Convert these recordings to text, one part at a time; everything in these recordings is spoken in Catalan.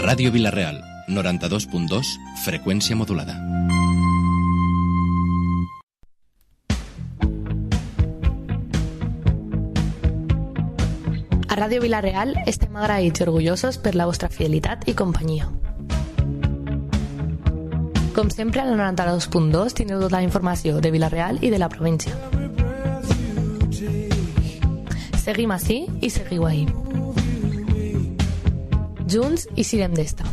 Ràdio Vila-real, 92.2, freqüència modulada. A Ràdio Vila-real estem agraïts i orgullosos per la vostra fidelitat i companyia. Com sempre, al 92.2 teniu tota la informació de Vila-real i de la província. Seguim ací i seguiu ahí. Junts i sirem d'esta.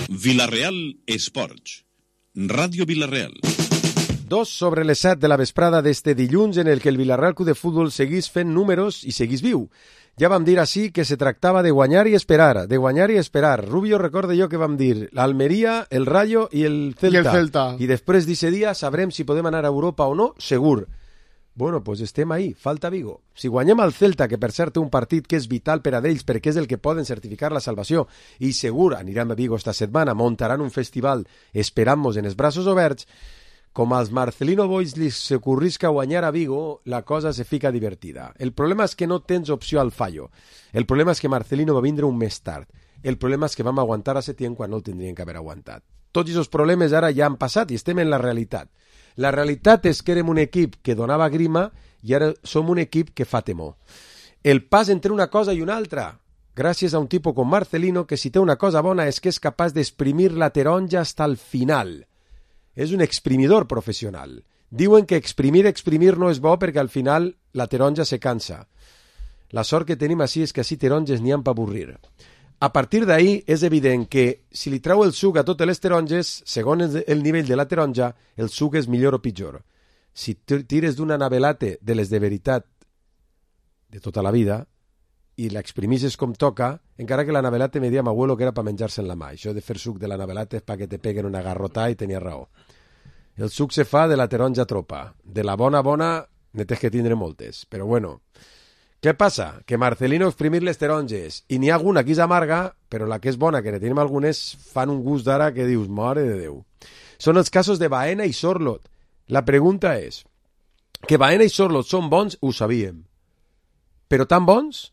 Vila-real Esports. Ràdio Vila-real. 2:07 de la vesprada d'este dilluns en el que el Vila-real Club de Futbol seguís fent números i seguís viu. Ja vam dir així que se tractava de guanyar i esperar, de guanyar i esperar. Rubio, recorda jo que vam dir l'Almeria, el Rayo i el Celta. I després d'aquest dia sabrem si podem anar a Europa o no, segur. Bueno, pues estem ahí, falta Vigo. Si guanyem al Celta, que per cert té un partit que és vital per a ells perquè és el que poden certificar la salvació, i segur anirem a Vigo esta setmana, muntaran un festival, esperant-nos en els braços oberts, com als Marcelino Boys li s'ocorrisca guanyar a Vigo, la cosa se fica divertida. El problema és que no tens opció al fallo. El problema és que Marcelino va vindre un mes tard. El problema és que vam aguantar a Setién quan no el tindrien que haver aguantat. Tots aquests problemes ara ja han passat i estem en la realitat. La realitat és que érem un equip que donava grima i ara som un equip que fa temor. El pas entre una cosa i una altra, gràcies a un tipus com Marcelino, que si té una cosa bona és que és capaç d'exprimir la taronja hasta el final. És un exprimidor professional. Diuen que exprimir no és bo perquè al final la taronja se cansa. La sort que tenim així és que així taronges n'hi ha per avorrir. A partir d'ahí és evident que si li treu el suc a totes les taronges, segons el nivell de la taronja, el suc és millor o pitjor. Si tires d'una navelate de les de veritat de tota la vida i l'exprimisses com toca, encara que la navelate me dia mi abuelo que era per menjar-se en la mà. Això de fer suc de la navelate és perquè te peguen una garrotà i tenia raó. El suc se fa de la taronja tropa. De la bona, ne tens que tindre moltes. Però bueno, què passa? Que Marcelino exprimir les taronges i n'hi ha alguna que és amarga, però la que és bona, que ne tenim algunes, fan un gust d'ara que dius, mare de Déu. Són els casos de Baena i Sorlot. La pregunta és, que Baena i Sorlot són bons, ho sabíem. Però tan bons?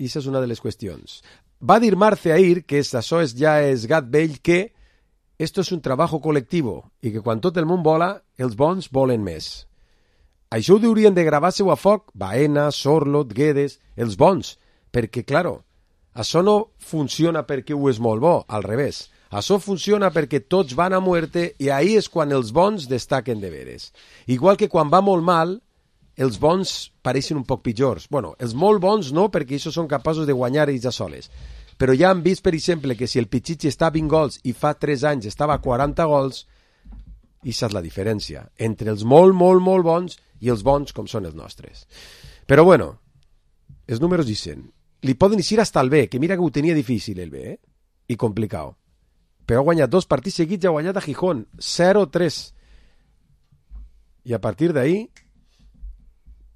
I aquesta és una de les qüestions. Va dir Marce ahir, que això ja és gat vell, que esto es un trabajo colectivo i que quan tot el món vola, els bons volen més. Això ho haurien de gravar-se-ho a foc, Baena, Sorlot, Guedes, els bons, perquè, claro, això no funciona perquè ho és molt bo, al revés. Això funciona perquè tots van a muerte i ahí és quan els bons destaquen de veres. Igual que quan va molt mal, els bons pareixen un poc pitjors. Bueno, els molt bons no, perquè això són capaços de guanyar ells a soles. Però ja han vist, per exemple, que si el Pichichi està a 20 gols i fa 3 anys estava a 40 gols, això és la diferència entre els molt bons i els bons com són els nostres. Però bueno, els números dicen, li poden eixir hasta el B, que mira que ho tenia difícil el B, i complicat. Però ha guanyat 2 partits seguits i ha guanyat a Gijón, 0-3. I a partir d'ahí,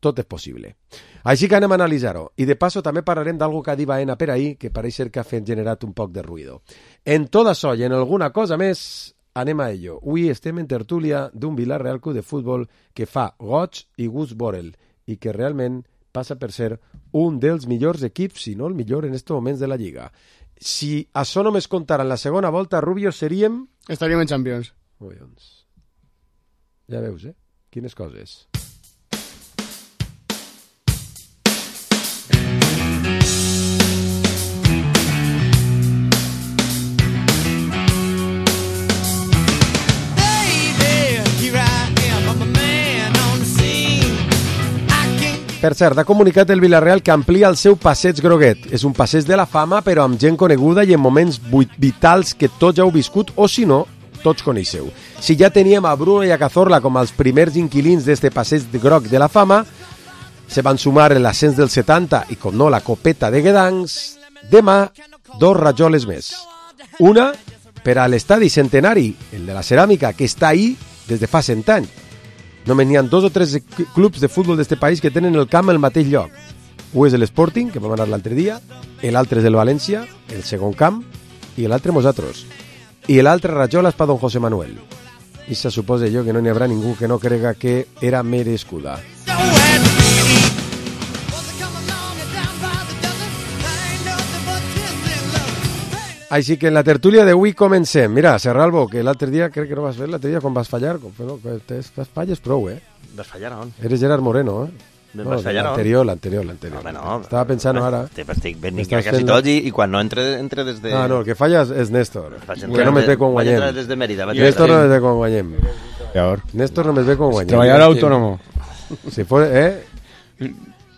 tot és possible. Així que anem a analitzar-ho. I de passo també parlarem d'algo que ha dit Baena per ahir, que pareix ser que ha generat un poc de ruïdo. En tot això i en alguna cosa més, anem a ello. Avui estem en tertúlia d'un Vila-real Club de Futbol que fa goig i gust veure'l i que realment passa per ser un dels millors equips, si no el millor en aquests moments de la Lliga. Si això només comptara en la segona volta, Rubio, seríem... Estaríem en Champions. Collons. Ja veus, Quines coses. Per cert, ha comunicat el Vila-real que amplia el seu passeig groguet. És un passeig de la fama, però amb gent coneguda i en moments vitals que tots ja heu viscut, o si no, tots coneixeu. Si ja teníem a Bruno i a Cazorla com els primers inquilins d'este passeig groc de la fama, se van sumar l'ascens del 70 i, com no, la copeta de Guedancs, demà 2 rajoles més. Una per a l'estadi centenari, el de la ceràmica, que està ahí des de fa 100 anys. Només n'hi ha 2 o 3 clubs de futbol d'aquest país que tenen el camp al mateix lloc. Un és l'Sporting, que vam anar l'altre dia, l'altre és el València, el segon camp, i l'altre nosaltres. I l'altre rajola és per don José Manuel. i se suposa jo que no n'hi haurà ningú que no crega que era merescuda. Així que en la tertúlia d'avui comencem. Mira, Serralbo, que l'altre dia, crec que no vas fer, l'altre dia quan vas fallar, bueno, falles prou, Vas fallar on? Eres Gerard Moreno, Vas fallar on? L'anterior. No, Estava pensant ara. Estic ben quasi tot i quan no entre des de... Ah, no, el que falla és Néstor, que no me ve quan guanyem. Vaig entrar des de Mèrida. Néstor no me ve quan guanyem. Néstor no me ve quan guanyem. Treballar autónomo. Si fue,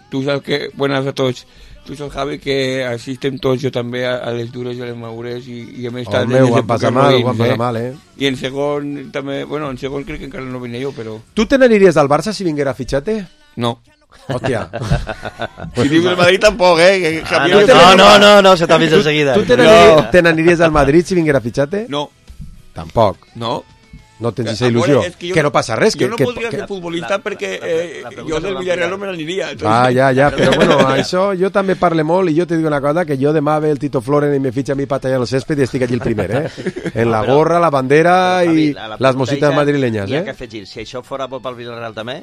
Tú sabes que, buenas a todos. Tú sabes, Javi, que asisten tots jo també a les dures i a les madures i a més Home, ho han passat mal, I en segon també, bueno, en segon crec que encara no venia jo, però... Tu te n'aniries del Barça si vinguera Fitxate? No. Hòstia. Si dius el Madrid tampoc, No, se t'ha vist enseguida. Tu te n'aniries al Madrid si vinguera Fitxate? No. Tampoc. No. No tens aquesta il·lusió. Que no passa res. Jo no podria ser futbolista perquè jo del Villarreal no me n'aniria. Ja, però bueno, això jo també parle molt i jo te dic una cosa, que jo demà ve el Tito Floren i me fitxa a mi para tallar el césped i estic allí el primer, en la gorra, la bandera i les mositas madrileñas, Hi ha que afegir, si això fora bo pel Villarreal també...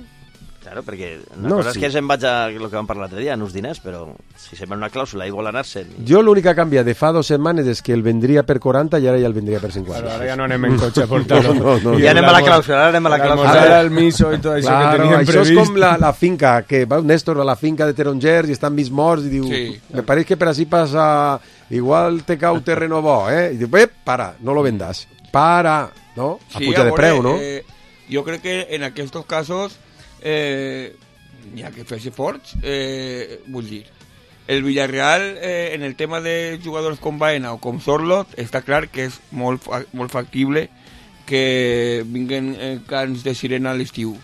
Claro, perquè una cosa és que se'n vaig a el que vam parlar l'altre dia, en uns diners, però si se'n va una clàusula i vol anar-se'n... Jo l'únic que canvia de fa 2 setmanes és que el vendria per 40 i ara ja el vendria per 50. Però ara ja no anem en cotxe a portar-lo. No. Ja anem a la clàusula, Ara el miso i tot això que teníem previst. Això és com la finca, que va Néstor a la finca de Tarongers i estan mig morts i diu, me pareix que per així passa, igual te cau terreno bo, I diu, para, no lo vendas. Para, no? A puja de preu, no? Jo crec que en aquests casos n'hi ha que fer-se forts, vull dir, el Villarreal en el tema de jugadors com Baena o com Sorloth està clar que és molt factible que vinguen cants de sirena a l'estiu,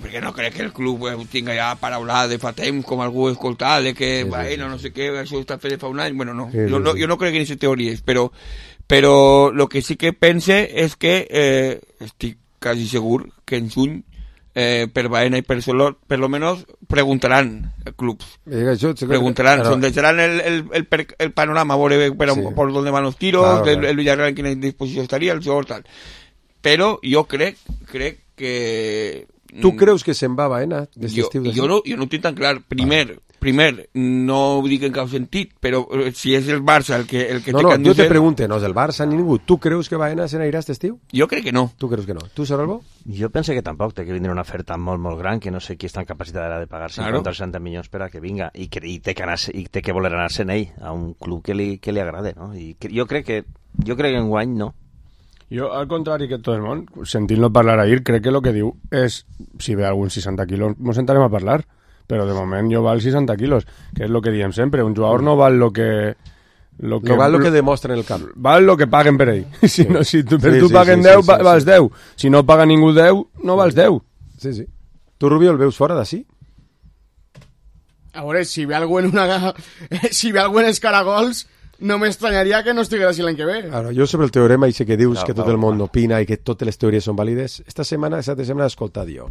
perquè no crec que el club tinga ja paraula de fa temps com algú escoltat de que Baena no sé què, això està fet de fa un any, bueno no, jo no crec en aquestes teories, però el que sí que pense és que estic quasi segur que en juny per Baena y per Sorloth, per lo menos preguntarán clubs. Preguntarán, sondejarán el panorama, por dónde van los tiros, el Villarreal en quina disposició estaria, el jugador tal. Però jo crec que... Tu creus que se'n va Baena? Jo no ho tinc tan clar. Primer, no ho dic en cap sentit, però si és el Barça el que No, jo te pregunto, no és el Barça ni ningú. Tu creus que Baena se n'anirà aquest estiu? Jo crec que no. Tu creus que no? Tu, Serralbo? Jo penso que tampoc, té que vindre una oferta molt, molt gran, que no sé qui està en capacitat de pagar 50 o 60 milions per a que vinga, i té que voler anar-se'n ell a un club que li agrade, no? I jo crec que enguany no. Jo, al contrari que tot el món, sentint-lo parlar ahir, crec que el que diu és, si ve algun 60 quilos, ens sentarem a parlar, però de moment jo val 60 quilos, que és el que diem sempre, un jugador no val lo que val el que demostra en el camp. Val el que paguen per ell. Si tu paguen 10, vals 10. Si no paga ningú 10, no vals 10. Sí. Tu, Rubio, el veus fora d'ací? A veure, si ve algú en Escaragols, no m'estranyaria que no estigués així l'any que ve. Ara, jo sobre el teorema i sé que dius que tot el món opina i que totes les teories són vàlides. Esta setmana he escoltat jo.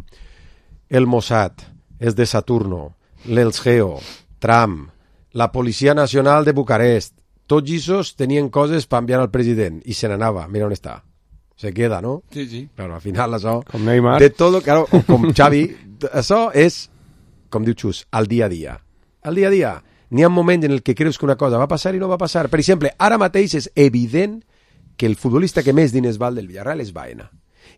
El Mossad, els de Saturno, l'Elsgeo, Trump, la Policia Nacional de Bucarest, tots aquests tenien coses per enviar al president i se n'anava, mira on està. Se queda, no? Sí. Claro, al final això... Com Neymar. De todo, claro, com Xavi, això és, com diu Xus, al dia a dia. Al dia a dia. N'hi ha moments en el que creus que una cosa va passar i no va passar. Per exemple, ara mateix és evident que el futbolista que més diners val del Villarreal és Baena.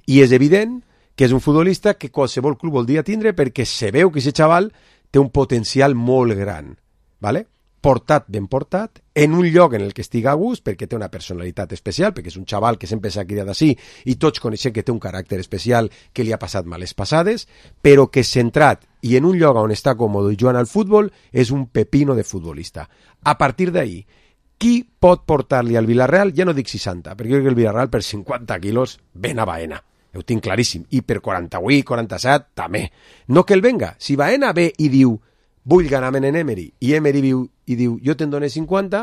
I és evident que és un futbolista que qualsevol club voldria tindre perquè se veu que aquest xaval té un potencial molt gran. ¿Vale? Ben portat, en un lloc en el que estiga a gust, perquè té una personalitat especial, perquè és un xaval que sempre s'ha criat així, i tots coneixem que té un caràcter especial, que li ha passat males passades, però que centrat i en un lloc on està còmode i jugant al futbol, és un pepino de futbolista. A partir d'ahí, qui pot portar-li al Villarreal? Ja no dic 60, perquè jo crec que el Villarreal per 50 quilos ven a Baena. Ho tinc claríssim. I per 48, 47, també. No que el venga. Si Baena ve i diu vull ganar-me en Emery, i Emery viu i diu jo te'n dono 50,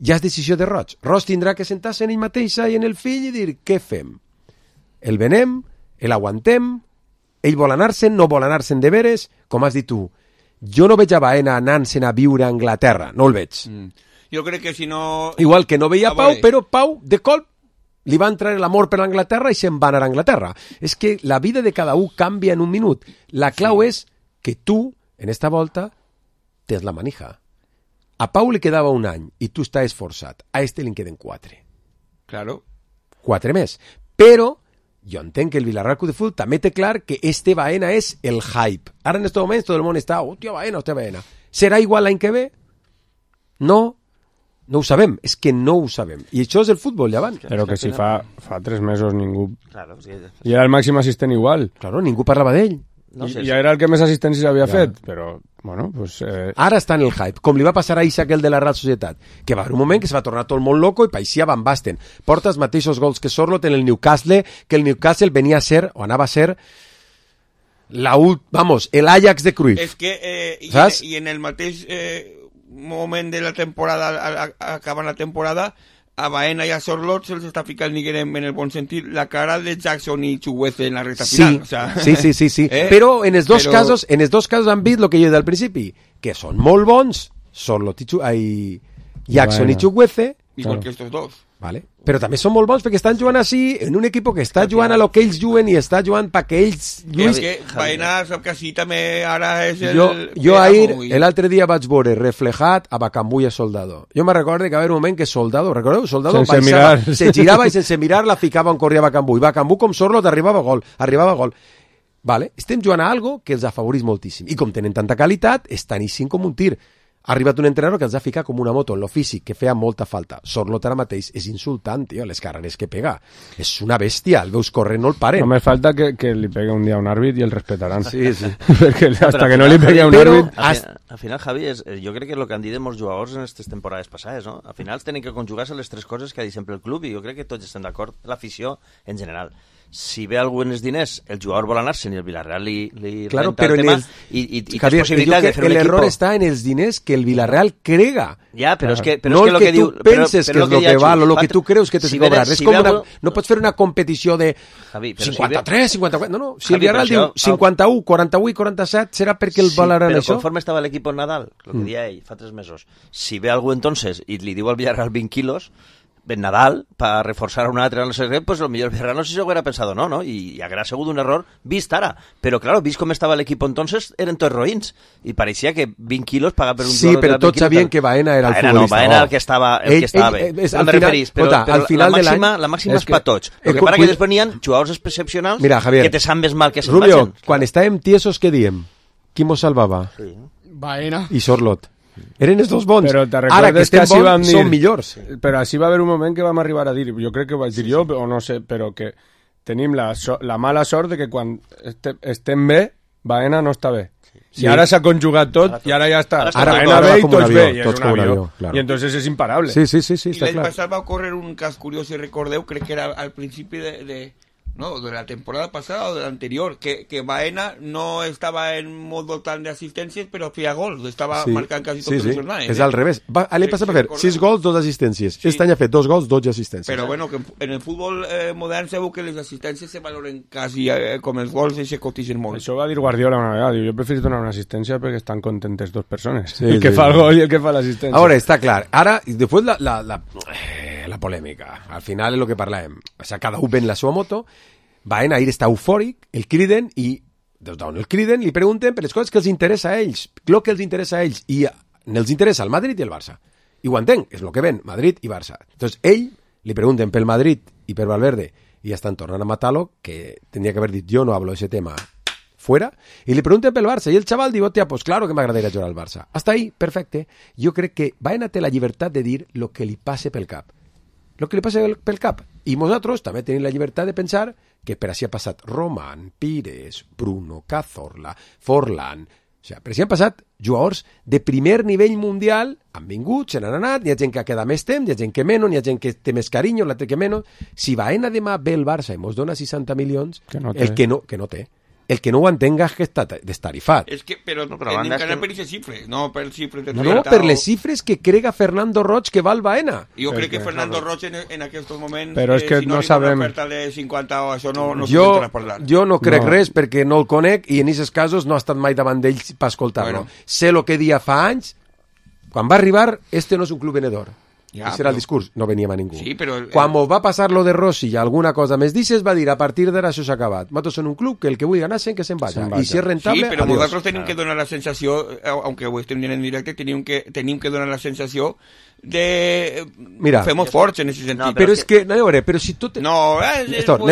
ja és decisió de Roig. Roig tindrà que sentar-se en ell mateixa i en el fill i dir què fem? El venem, l'aguantem, ell vol anar-se'n, no vol anar-se'n de veres, com has dit tu. Jo no veig a Baena anant-se'n a viure a Anglaterra, no el veig. Jo crec que si no... Igual que no veia Pau, però Pau, de colp, li va entrar l'amor per l'Anglaterra i se'n va anar a Anglaterra. És que la vida de cada un canvia en un minut. La clau és que tu, en esta volta, tens la manija. A Pau li quedava un any i tu estàs esforçat. A este li en queden 4. Claro. 4 més. Però jo entenc que el Villarreal Club de Fútbol també té clar que este Baena és el hype. Ara en estos moments tot el món està, hòstia Baena. Serà igual l'any que ve? No ho sabem, és que no ho sabem. I això és el futbol, llevant. Però que si fa 3 mesos ningú... Claro, sí. I era el màxim assistent igual. Claro, ningú parlava d'ell. No sé, I ja era el que més assistències havia fet, però, bueno, pues... Ara està en el hype, com li va passar a Isaac el de la Real Societat, que va haver un moment que se va tornar tot el món loco i paixia Van Basten. Porta els mateixos gols que Sorloth en el Newcastle, que el Newcastle venia a ser, o anava a ser, el Ajax de Cruyff. És que, saps? i en el mateix moment de la temporada, acabant la temporada, a Baena i a Sorloth se'ls està ficant, diguem, en el bon sentit, la cara de Jackson i Chukwueze en la recta final. O sea, sí. Però en els dos casos han vist el que jo he dit al principi, que són molt bons, Sorloth i Jackson i Chukwueze, igual que estos dos. Vale. Però també són molt bons perquè estan jugant així en un equip que està jugant a lo que ells juguen i està jugant perquè ells lluïn. És que Baena sap que així també ara és el... Jo ahir, l'altre dia vaig veure reflejat a Bacambú i a Soldado. Jo me recordo que va haver un moment que Soldado, recordeu? Soldado se girava i sense mirar la ficava on corria Bacambú. I Bacambú, com Sorloth, arribava a gol. Vale? Estem jugant a algo que els afavorís moltíssim. I com tenen tanta qualitat, estan eixint com un tir. Ha arribat un entrenador que els ha ficat com una moto en lo físic, que feia molta falta. Sorloth ara mateix és insultant, tio, les carreres que pega. És una bèstia, el veus corrent, no el paren. Només falta que li pegue un dia un àrbit i el respetaran. Sí. Perquè hasta que no li pegue un àrbit... Al final, Javi, jo crec que és el que han dit molts jugadors en aquestes temporades passades, no? Al final tenen que conjugar-se les 3 coses que ha dit sempre el club i jo crec que tots estem d'acord, l'afició en general. Si ve algú en els diners, el jugador vol anar-se'n i el Villarreal li claro, renta el tema i Javier, tens possibilitat de fer un equip. L'error està en els diners que el Villarreal crega. Ja, però és que... no el que tu penses que és el que val o el que tu creus que t'has de cobrar. És com no pots fer una competició de 53, 54... No, si el Villarreal diu 51, 41 i 47 serà perquè el valoran això. Però conforme estava l'equip en Nadal, el que deia ell fa 3 mesos, si ve algú entonces i li diu al Villarreal 20 quilos... en Nadal, para reforzar a un altre, no sé què, pues lo millor Villarreal no sé si ho hubiera pensado, no, i haguera sigut un error vist ara, però claro, vist com estava l'equip entonces, eren tots roïns, i pareixia que 20 quilos pagar per un sí, però tots sabien que Baena era el futbolista. No, Baena el que estava bé. Al referís, però la màxima és per tots. El que para que després n'hi ha jugadors excepcionals que te saben més mal que se'n Rubio, quan estàvem tiesos, què diem? Qui mos salvava? Baena. I Sorloth. Eren els dos bons. Però ara que estem bons són millors. Però així va haver un moment que vam arribar a dir, jo crec que ho vaig dir jo, o no sé, però que tenim la mala sort de que quan estem bé, Baena no està bé. I ara s'ha conjugat tot i ara ja està. Ara Baena bé i tots bé. I és un avió. I entonces és imparable. Sí, està clar. I l'any passat va ocórrer un cas curiós, si recordeu, crec que era al principi de la temporada pasada o de l'anterior, que Baena no estava en modo tan de assistències, però feia gols, estava marcant quasi tots els jornades. És al revés. L'any passat va fer 6 gols, 2 assistències. Aquest any ha fet 2 gols, 12 assistències. Però bueno, que en el futbol modern sabeu que les assistències se valoren quasi com els gols i se cotitzen molt. Això va dir Guardiola una vegada, jo preferís donar una assistència perquè estan contentes 2 persones. El que fa el gol i el que fa l'assistència. Ara, està clar. Ara, després la polèmica. Al final és el que parlàvem. O sigui, cada un ven la seva moto. Baena ahir està eufòric, el criden i des d'on el criden li pregunten per les coses que els interessa a ells, el que els interessa a ells, i els interessa el Madrid i el Barça. I ho entenc, és el que ven, Madrid i Barça. Entonces ell li pregunten pel Madrid i per Valverde i ja estan tornant a matar-lo, que tendría que haver dit jo no hablo de ese tema fuera, i li pregunten pel Barça i el xaval diu, hòstia, pues claro que m'agradaria jugar al Barça. Hasta ahí, perfecte. Jo crec que Baena té la llibertat de dir lo que li passe pel cap. Lo que li passe pel cap. I nosaltres també tenim la llibertat de pensar que per així ha passat Roman, Pires, Bruno, Cazorla, Forlán... O sigui, per així han passat jugadors de primer nivell mundial, han vingut, se n'han anat, hi ha gent que ha quedat més temps, hi ha gent que menys, hi ha gent que té més carinyo, l'altre que menys... Si Baena demà ve el Barça i mos dona 60 milions, el que no té. El que no ho entenga és que està destarifat. És que, però hem d'anar per aquestes xifres, no per xifres de 30. No, per les xifres que crega Fernando Roig que val Baena. Jo crec que Fernando Roig en aquests moments, però és que si no sabem... una oferta de 50 o això no s'ho parlar. Jo no crec res perquè no el conec i en aquests casos no ha estat mai davant d'ell per escoltar-lo. Sé el que dia fa anys, quan va arribar, este no és un club venedor. Ja, Ese era el discurs, no veníem a ningú. Sí, però Quan mos va passar lo de Rossi i alguna cosa més dices, va dir, a partir d'ara això s'ha acabat. Nosaltres som un club que el que vulgui anar-se'n, que se'n vaya. I si és rentable, Sí, però adiós. nosaltres tenim que donar la sensació, aunque ho estem dient en directe, tenim que donar la sensació de... Mira, fem forts en aquest sentit. No, Però és que, no, a veure, però si tot... No, Néstor,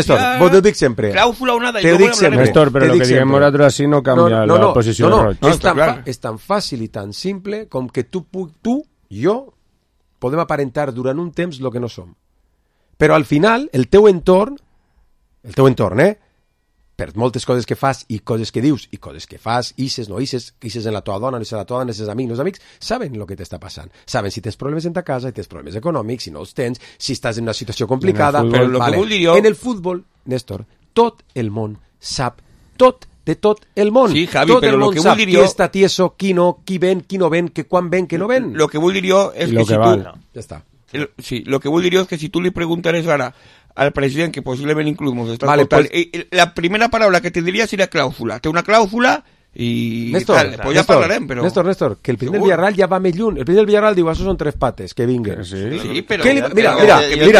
vos ho dic sempre. Clàusula o nada. Te ho dic sempre. Néstor, però Te el dic que diguem sempre. nosaltres així no canvia la posició de Roig. És tan fàcil i tan simple com que tu, jo, podem aparentar durant un temps el que no som. Però al final, el teu entorn, per moltes coses que fas i coses que dius i coses que fas, ixes, no ixes en la tua dona, no ixes en la tua dona, ixes amics, no ixes amics, saben el que t'està passant. Saben si tens problemes en ta casa, si tens problemes econòmics, si no els tens, si estàs en una situació complicada. Però el que vull dir jo... En el futbol, Néstor, tot el món sap tot de tot el món. Sí, Javi, tot però el lo món que sap vull dir qui jo... està tieso, qui no, qui ven, qui no ven, que quan ven, que no ven. Lo que vull dir jo és lo que si que tu... val. Ja està. Sí, lo que vull dir jo és que si tu li preguntares ara al president, que posiblement inclús mos està Vale, escoltant, la primera paraula que te diria seria clàusula. Té una clàusula i Néstor, tal. Pues ja parlarem, però... Néstor, que el president del Segur. Villarreal ja va més lluny. El president del Villarreal diu, això són 3 pates, que vinguen. Sí, però... Que li- mira, que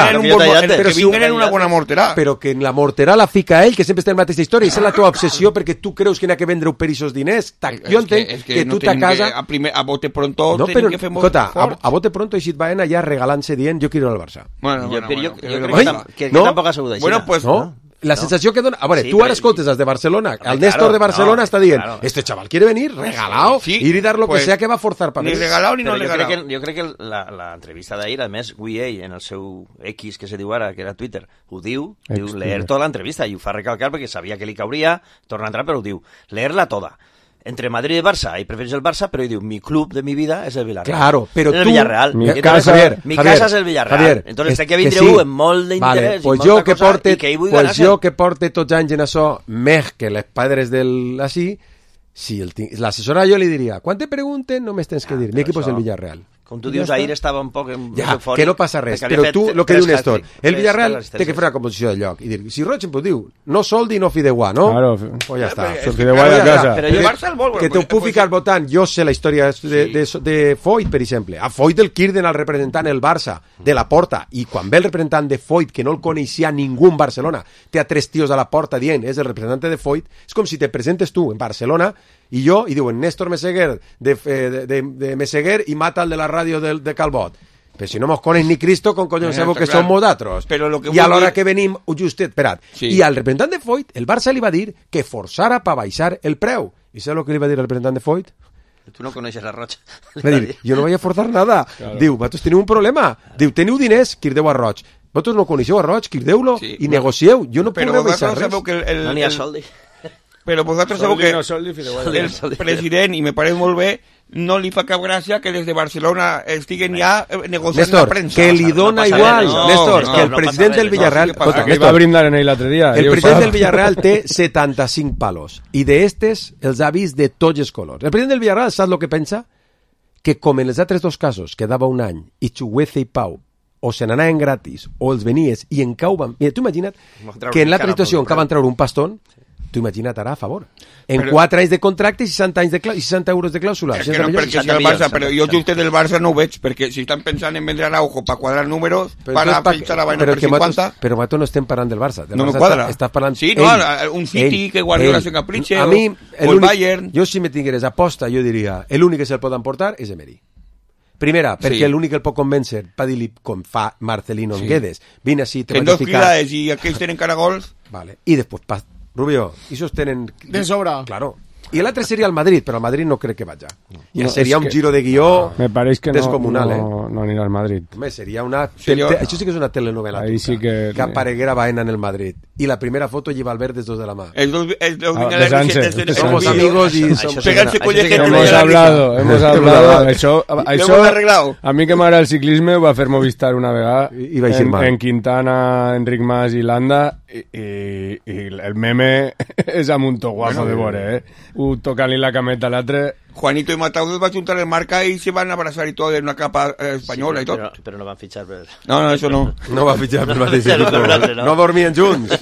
però vinguen una morterà. Però que en la morterà la fica ell, que sempre està en la mateixa història, i és la teva obsessió perquè tu creus que n'ha que vendre per aquests diners. Jo entenc que tu a casa... A bote pronto No, tenim però, que fer molt escolta, fort. a bote pronto eixit Baena ja regalant-se dient jo quiero ir al Barça. Bueno, Jo crec Oi? que No? tampoc ha sigut així. Bueno, pues... No? La sensació que dona... A veure, Sí, tu ara però- escoltes els de Barcelona, el Claro, Néstor de Barcelona no, està dient claro. este chaval quiere venir regalado, Sí, ir y dar lo pues, que sea que va a forzar para Ni venir. regalado ni no Però regalado. jo crec que l'entrevista d'ahir, a més, avui ell, en el seu X, que se diu ara, que era Twitter, ho diu leer tota l'entrevista, i ho fa recalcar perquè sabia que li cauria, torna a entrar, però ho diu, leer-la toda. Entre Madrid y Barça, y prefieres el Barça, pero yo digo, mi club de mi vida es el Villarreal. Claro, pero es el tú... Villarreal. Mi Entonces, casa- mi Javier, casa es el Villarreal. Javier, Entonces, és té que que vindre sí. amb molt d'interès Vale, pues i molta jo que cosa, porte, i que ell vull pues ganar-se. jo que porte tots anys en això, més que les padres del... Així, si l'assessora jo li diria, quan te pregunten no m'has tens que dir, mi equip és el Villarreal. Com tu dius, ahir estava un poc Ja, eufòric, que no passa res, perquè havia però fet tu, el que 3 diu Néstor, hat-trick, el Villarreal tres té que fer una composició de lloc i dir, si Roig em pot diu, no soldi, no fideuà, no? Claro. Pues ja està. És que Fideuà de claro, casa. Però jo Barça el vol... Que t'ho puc ficar votant, jo sé la història de Foyt, per exemple. A Foyt el quirden al representant el Barça, de la porta, i quan ve el representant de Foyt, que no el coneixia ningú en Barcelona, té a 3 tios a la porta dient, és el representant de Foyt, és com si te presentes tu en Barcelona i jo, i diuen, Néstor Meseguer de Meseguer i mata el de la ràdio de Calbot. Però si no mos coneix ni Cristo, com collons Ja, sabeu està que clar. som nosaltres? Però lo que I a vull l'hora dir- que venim, justet, esperat, Sí. i al representant de Foyt, el Barça li va dir que forçara per baixar el preu. I saps el que li va dir el representant de Foyt? Tu no coneixes a Roig. Va dir, jo no vaig a forzar nada. Claro. Diu, vosaltres teniu un problema. Diu, teniu diners, quirdeu a Roig. Vosaltres no coneixeu a Roig, quirdeu-lo Sí, i no. negocieu. Jo no puc Però rebaixar vosaltres res. sabeu que No n'hi ha soldi. Però vosaltres sabeu que el president, i me pareix molt bé, no li fa cap gràcia que des de Barcelona estiguen ja negociant Néstor, la premsa. que li no dona passa igual, res, no, Néstor, no, que el no president passa del res, Villarreal... no, sí que passa. Escolta, Que va a Néstor, brindar en ell l'altre dia. el president del Villarreal té 75 palos i d'estes els ha vist de tots els colors. El president del Villarreal sap el que pensa? Que com en els altres 2 casos quedava un any i Chuguece i Pau o se n'anaven gratis o els venies i en cau van... Mira, tu imagina't que en l'altra situació en què van treure un pastón, tu imagina't ara a favor. En Però- 4 anys de contracte i 60 euros de clàusula. És que no, perquè si el Barça, però jo just del Barça no ho veig, perquè si estan pensant en vendre Araujo per quadrar números, per fitxar la vaina per 50... Però nosaltres no estem parlant del Barça. Del No me Barça quadra. Estàs parlant Sí, no, ell, un City ell, que Guardiola ell. se capritxe, A mi, o el Bayern. Jo si me tingueres aposta, jo diria, l'únic que se'l pot emportar és Emery. Primera, perquè Sí. l'únic que el pot convèncer, per dir-li com fa Marcelino en Guedes, vine així, te Que en vaig a 2 ficar... quilades i aquells tenen caragols... Vale. I després, Rubio, esos tenen... De sobra. Claro. I l'altre seria el Madrid, però el Madrid no crec que vaja. Ja No, seria és un que- giro de guió Me pareix que descomunal, no anirà al Madrid. Home, seria una... Seria- Això sí que és una telenovela. Ahí turca, sí que- apareguera Baena en el Madrid. I la primera foto lleva Albert des dos de la mà. Els dos besant-se, besant-se. Somos amigos y Això somos... sí que Pegarse no- colleje això sí que de no- Hemos la hablado, hemos hablado. Això, hemos arreglado. a mi que m'agrada el ciclisme ho va fer Movistar una vegada I va eixir mal. en Quintana, Enric Mas i Landa i el meme és amb un to guapo de veure, un tocant-li la cameta a l'altre. Juanito y Matau va a juntar el marca y se van a abrazar y todo en una capa española y todo. Però no van fitxar per... No, eso no. No va fitxar per mateix Ja no, equip. l'altre no. No dormien junts.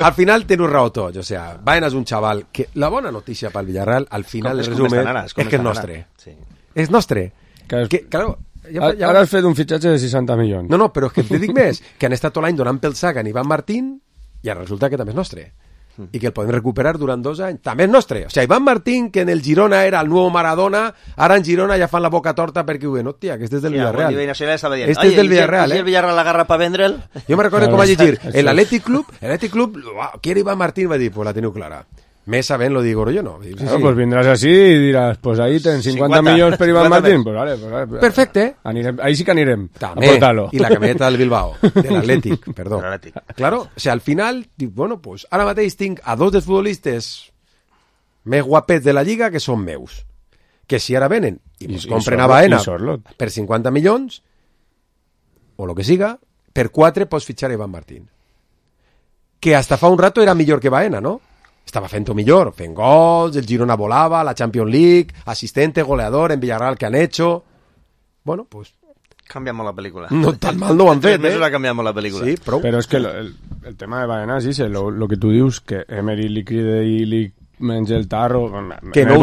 Al final teniu raó tots. O sea, Baena és un xaval que... La bona notícia pel Villarreal, al final, el resumen, és que és nostre. Sí. És nostre. Que és- Que, claro, Ara has fet un fitxatge de 60 milions. No, però és que et dic més, que han estat tot l'any donant pel sac a Iván Martín i ara resulta que també és nostre. I que el podem recuperar durant 2 anys. També és nostre. O sigui, Iván Martín, que en el Girona era el nou Maradona, ara en Girona ja fan la boca torta perquè ho diuen, hòstia, que este és del Villarreal. Este és del Villarreal, el Villarreal l'agarra per vendre'l? Jo me recordo com vaig llegir, l'Atlètic Club, quiere Iván Martín, va dir, pues la teniu clara. Més sabent lo digo yo, no. Claro, pues vendrás así y dirás, pues ahí ten 50 millones per Iván Martín. Pues vale. Perfecte. Ahí sí que anirem. També. I la camioneta del Bilbao, de l'Atlètic, perdó. Claro, o sea, al final, dic, bueno, pues ara mateix tinc a 2 dels futbolistes més guapets de la Lliga que són meus. Que si ara venen i pues compren a Baena per 50 milions, o lo que siga, per 4 pots fitxar a Iván Martín. Que hasta fa un rato era millor que Baena, ¿no? Estava fent-ho millor, fent gols, el Girona volava, la Champions League, asistente, goleador en Villarreal que han hecho. Bueno, pues... Cambiamos la película. No tan mal no ho han fet, Eso la cambiamos la película. Sí, prou. Però és que el tema de Baena, sí, lo que tu dius, que Emery li cride i li menja el tarro, que en el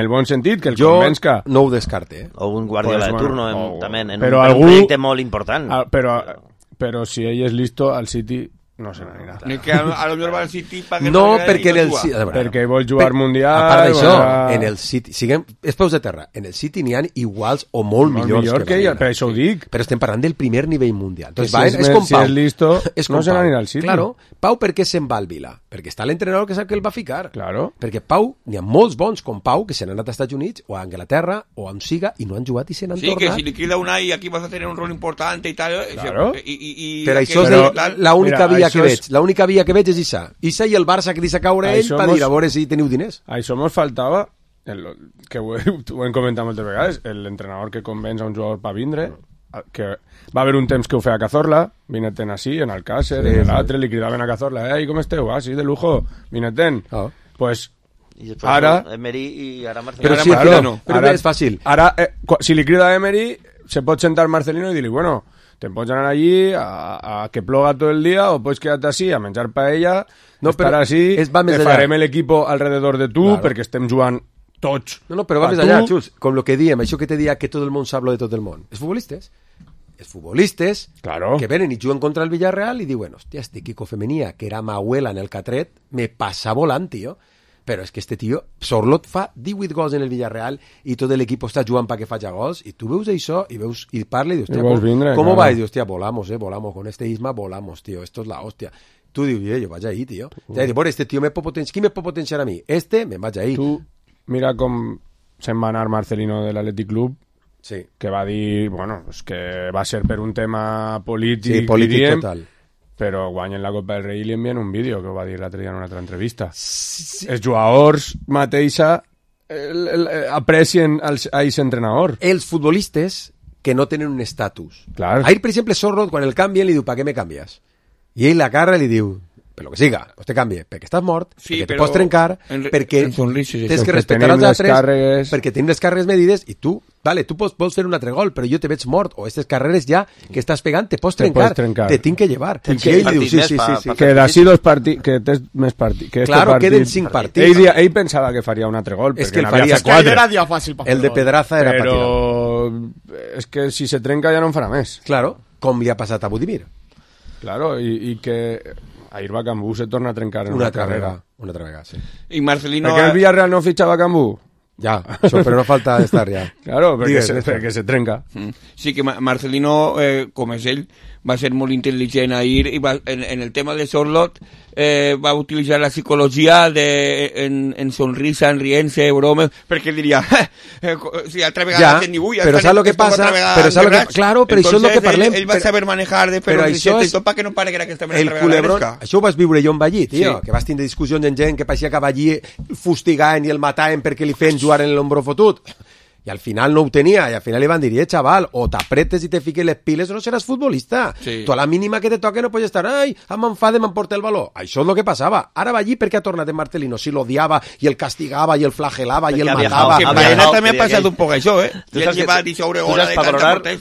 bon sentit, que el convenç-que... Jo no ho descarte, O un Guardiola de turno, també, en un projecte molt important. Però si ell és listo, al City... No se n'anirà. Que a lo millor va al City no, perquè en el City... Perquè vol jugar Mundial... A part d'això, en el City... Siguem... És peus de terra. En el City n'hi ha iguals o molt millors que ell. Per això ho dic. Però estem parlant del primer nivell mundial. Entonces, és com Pau. Si és listo, no se n'anirà al City. Claro. Pau, per què se'n va al Vila? Perquè està l'entrenador que sap que el va ficar. Claro. Perquè Pau, n'hi ha molts bons com Pau que se n'han anat als Estats Units o a Anglaterra o on siga i no han jugat i se n'han tornat. Sí, que si li queda una i aquí vas a tener un rol importante i tal. Claro. Però això és l'única via que veig. L'única via que veig és Issa i el Barça que deixa caure ell per dir a veure si teniu diners. Això mos faltava, que ho hem comentat moltes vegades, l'entrenador que convenç a un jugador per vindre, que va haver un temps que ho feia Cazorla, vineten així, en Alcácer, en l'altre, li cridaven a Cazorla, com esteu? Ah, sí, de lujo, vineten. Pues ara... Emery i ara Marcelino. Però sí, claro, però és fàcil. Ara, si li crida a Emery, se pot sentar Marcelino i dir-li, bueno... Te pots anar allí a que ploga tot el dia o pots quedar-te així a menjar paella, estar així, te farem l'equip alrededor de tu perquè estem jugant tots. No, però va més allà, Xus, com el que diem, això que te dia que tot el món sap lo de tot el món. Els futbolistes que venen i juguen contra el Villarreal i diuen, hòstia, este Kiko Femenia, que era ma abuela en el Catret, me passa volant, tio. Però és que este tio, Sorlot fa 18 gols en el Villarreal i tot l'equip està jugant perquè faci gols i tu veus això i veus i parla i dius, hòstia, com va? I dius, hòstia, volamos, con este Isma volamos, tío, esto es la hòstia. Tu dius, jo vaig ahí, tío. Ja dius, bueno, este tio qui me pot potenciar a mi? Me'n vaig ahí. Tu mira com se'n va anar Marcelino de l'Atlètic Club, que va dir, bueno, que va ser per un tema polític. Sí, polític total. Però guanyen la Copa del Rei i li envien un vídeo que ho va dir l'altre dia en una altra entrevista. Els jugadors mateixa aprecien a aquest entrenador. Els futbolistes que no tenen un estatus. Clar. Ahir, per exemple, Sorlot, quan el canvien, li diu, ¿para qué me cambias? I ell la cara li diu, per lo que siga, pues te canvie, perquè estàs mort, perquè te pots trencar, perquè tens que respectar els altres, perquè tenim les càrregues medides, i tu, vale, tu vols fer un altre gol, però jo te veig mort, o aquestes carreres ja que estàs pegant, te pots trencar, te tinc que llevar. Sí. Que d'ací 2 partits, que tens més partits. Claro, queden 5 partits. Ell pensava que faria un altre gol, perquè n'havia fet 4. Era dia fàcil per fer el de Pedraza era per tirar. Però és que si se trenca ja no en farà més. Claro, com li ha passat a Budimir. Claro, i que... Ahir va Cambú se torna a trencar en una carrera. Una altra vegada, sí. I Marcelino... Perquè el Villarreal no fitxava Cambú? Ja, això, però no falta estar ja. Claro, perquè se trenca. Sí, que Marcelino, com és ell, va ser molt intel·ligent ahir i va, en el tema de Sorlot va utilitzar la psicologia en sonrisa, en riense, bromes, perquè diria, si altra vegada ja, ni però saps el que passa? Claro, però això és el que parlem. Ell va saber manejar de fer un risset i tot perquè no pare que era aquesta el culebrón. Això ho vas viure jo amb allí, tio, que vas tindre discussions amb gent que pareixia que va allí fustigant i el mataven perquè li feien jugar en l'hombro fotut. I al final no ho tenia, i al final li van dir, chaval, o t'apretes i te fiques les piles o no seràs futbolista. Sí. Tu a la mínima que te toque no pots estar, m'enfade, m'emporta el valor. Això és el que passava. Ara va allí perquè ha tornat en Marcelino. Si l'odiava, i el castigava, i el flagelava, i el matava. Que Baena també ha passat un poc això,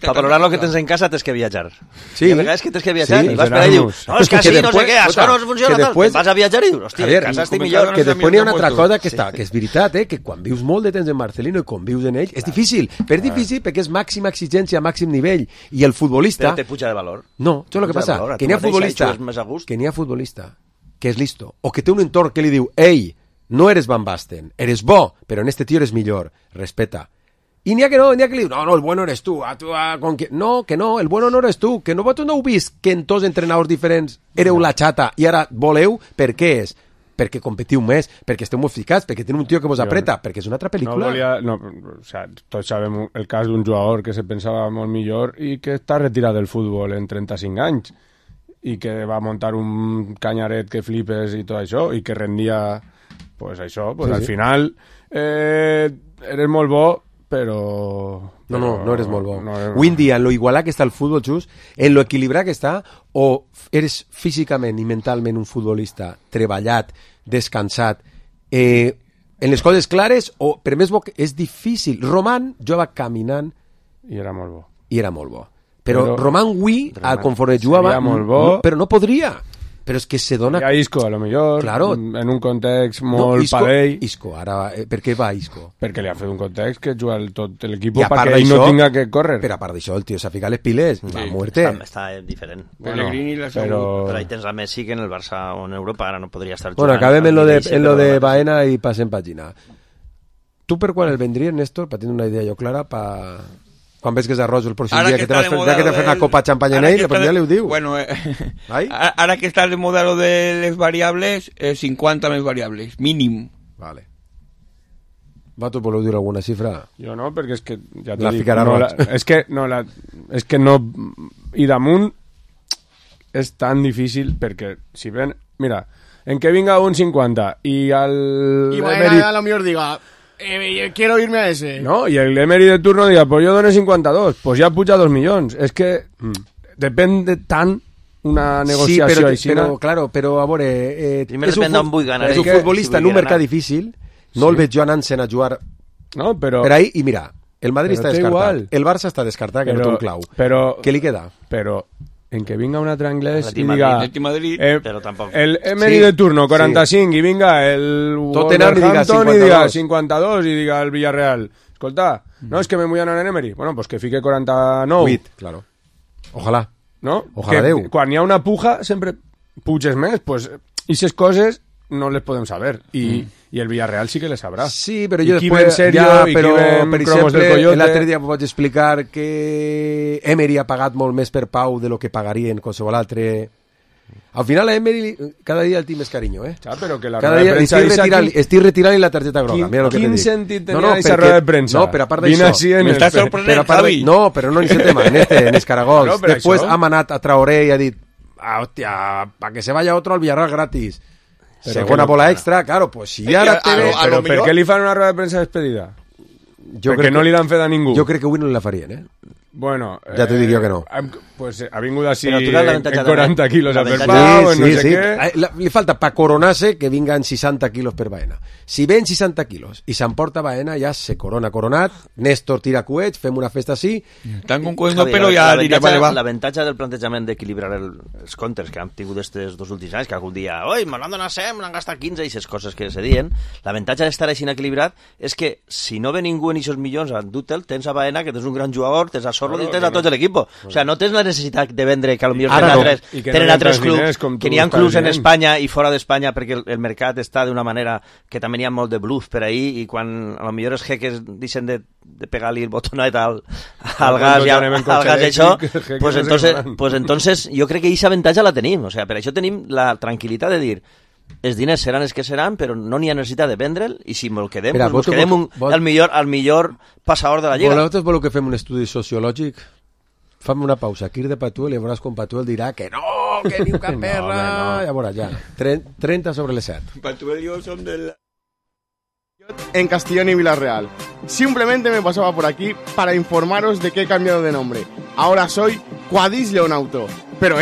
Per valorar lo que tens en casa tens que viatjar. Sí. I a vegades que tens que viatjar. I vas per allà i dius, no, és que així, no sé què, això no funciona tal. Vas a viatjar i dius, hòstia, en casa estic millor. Que després hi ha una altra cosa que és veritat, que quan vius molt de temps en Marcelino i convius en ell, és difícil, però és difícil perquè és màxima exigència, màxim nivell, i el futbolista... Però te puja de valor. No, això és el que passa, que n'hi ha futbolista que és listo, o que té un entorn que li diu, ei, no eres Van Basten, eres bo, però en este tío eres millor, respeta. I n'hi ha que no, n'hi ha que li diu, no, el bueno eres tu, no, que no, el bueno no eres tu, que no vosaltres no heu vist que en tots entrenadors diferents éreu la xata i ara voleu, per què és? Perquè competiu més, perquè esteu molt ficats, perquè teniu un tio que vos apreta, perquè és una altra pel·lícula. O sea, tots sabem el cas d'un jugador que se pensava molt millor i que està retirat del futbol en 35 anys i que va muntar un canyaret que flipes i tot això, i que rendia, pues això, pues sí, al final eres molt bo, però... No eres molt bo. Avui en dia, en lo igualat que està el futbol, just, en lo equilibrat que està, o eres físicament i mentalment un futbolista treballat, descansat, en les coses clares, o per més bo que és difícil. Roman jugava caminant i era molt bo. Però Roman avui, conforme jugava, però no podria. Però és que se dona... Hi ha Isco, a lo millor, claro. En un context molt padell. Isco, ara, per què va Isco? Perquè li ha fet un context que juga tot l'equip perquè ell no tinga que córrer. Però a part d'això, el tio s'ha ficat les piles, va a muerte. Està diferent. Bueno, però ahí tens a Messi, que en el Barça o en Europa ara no podria estar jugant. Bueno, acabem en lo de Baena i passem pàgina. Tu per quan el vendries, Néstor, per tenir una idea jo clara, quan ves que és arròs el pròxim dia, que t'has fet una copa de xampany en ell, ja li ho diu. Bueno, ara que està de moda lo de les variables, 50 més variables, mínim. Vale. Vosaltres voleu dir alguna xifra? Jo no, perquè és que ja t'ho dic. És que no... I damunt és tan difícil perquè si ven... Mira, en que vinga un 50 i el... I Baena a lo millor diga... quiero irme a ese. No, y el Emery de turno diga, pues yo doné 52, pues ya puja 2 milions. És que depèn tant una negociació així. Sí, però, claro, a veure... és un futbolista en un mercat difícil, no el veig jo anant-se'n a jugar per ahí, i mira, el Madrid està descartat, el Barça està descartat, que no té un clau. Què li queda? Però en que vinga un altre anglès i diga però tampoc. El Emery de turno 45 i vinga el Wolverhampton i diga 52 i diga el Villarreal, escolta, no, és que me vull anar en Emery, bueno, pues que fique 49. 8, claro. Ojalà. No? Ojalà Déu. Quan hi ha una puja sempre puges més, pues aquestes coses no les podem saber i el Villarreal sí que les sabrà. Sí, però jo després però per exemple l'altre dia vaig explicar que Emery ha pagat molt més per Pau de lo que pagarien qualsevol altre. Al final a Emery cada dia el tinc més carinyo, però que la cada dia estic retirant la targeta groga. Quin sentit tenia aquesta roda de premsa? No, però a part d'això m'està sorprenent, Javi. No, però no en aquest tema, en Escaragols. Després ha manat a Traoré i ha dit, hòstia, para que se vaya otro al Villarreal gratis. Segona bola extra, claro, pues si ara té... Però per què li fan una roda de premsa despedida? Perquè no li l'han fet a ningú. Jo crec que avui no la farien, Bueno, ja t'ho dic jo que no. Pues ha vingut així en 40 quilos a per Pau, no sé què. Li falta pa coronarse que vinga en 60 quilos per Baena. Si ven 60 quilos i s'emporta Baena, ja se coronat, Néstor tira coets, fem una festa així. Tan con coets no, però ja diria, vale, va. L'avantatge del plantejament d'equilibrar els comptes que han tingut estos 2 últims anys, que algun dia, oi, me l'han donat 100, me l'han gastat 15, i aquestes coses que se dien, l'avantatge d'estar així equilibrat és que si no ve ningú en aquests milions a endur-te'l, tens a Baena, que tens un gran jugador, tens a Sorlo i tens a tot l'equip. O sea, no tens la necessitat de vendre, que potser tenen altres clubs, que n'hi ha clubs en Espanya i fora d'Espanya, perquè el mercat està d'una manera que també n'hi ha molt de bluff per ahí, i quan a lo millor els jeques deixen de pegar-li el botonet al gas i això, pues entonces jo crec que aquesta avantatge la tenim. O sea, per això tenim la tranquil·litat de dir els diners seran els que seran, però no n'hi ha necessitat de vendre'l, i si me'l quedem, pues quedem el millor passador de la Lliga. Vosaltres voleu que fem un estudi sociològic? Fem una pausa, Quir de Patuel, i veuràs com Patuel dirà que no, que diu cap perra, ja veuràs, ja. 30 sobre les 7. Patuel y yo son del... En Castellón y Villarreal. Simplemente me pasaba por aquí para informaros de que he cambiado de nombre. Ahora soy Quadis Leonauto. Pero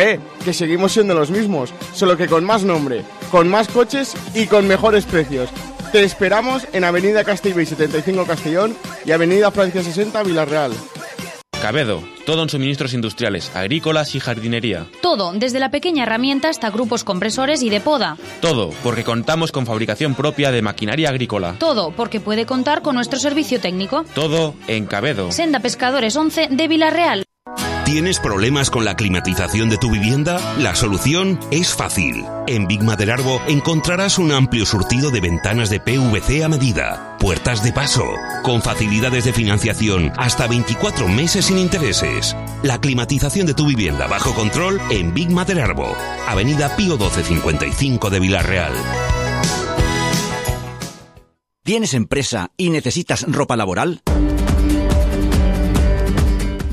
que seguimos siendo los mismos, solo que con más nombre, con más coches y con mejores precios. Te esperamos en Avenida Castellbell 75 Castellón y Avenida Francia 60 Villarreal. Cabedo, todo en suministros industriales, agrícolas y jardinería. Todo, desde la pequeña herramienta hasta grupos compresores y de poda. Todo, porque contamos con fabricación propia de maquinaria agrícola. Todo, porque puede contar con nuestro servicio técnico. Todo en Cabedo. Senda Pescadores 11 de Villarreal. ¿Tienes problemas con la climatización de tu vivienda? La solución es fácil. En Big Maderarbo encontrarás un amplio surtido de ventanas de PVC a medida, puertas de paso, con facilidades de financiación hasta 24 meses sin intereses. La climatización de tu vivienda bajo control en Big Maderarbo, Avenida Pío 1255 de Villarreal. ¿Tienes empresa y necesitas ropa laboral?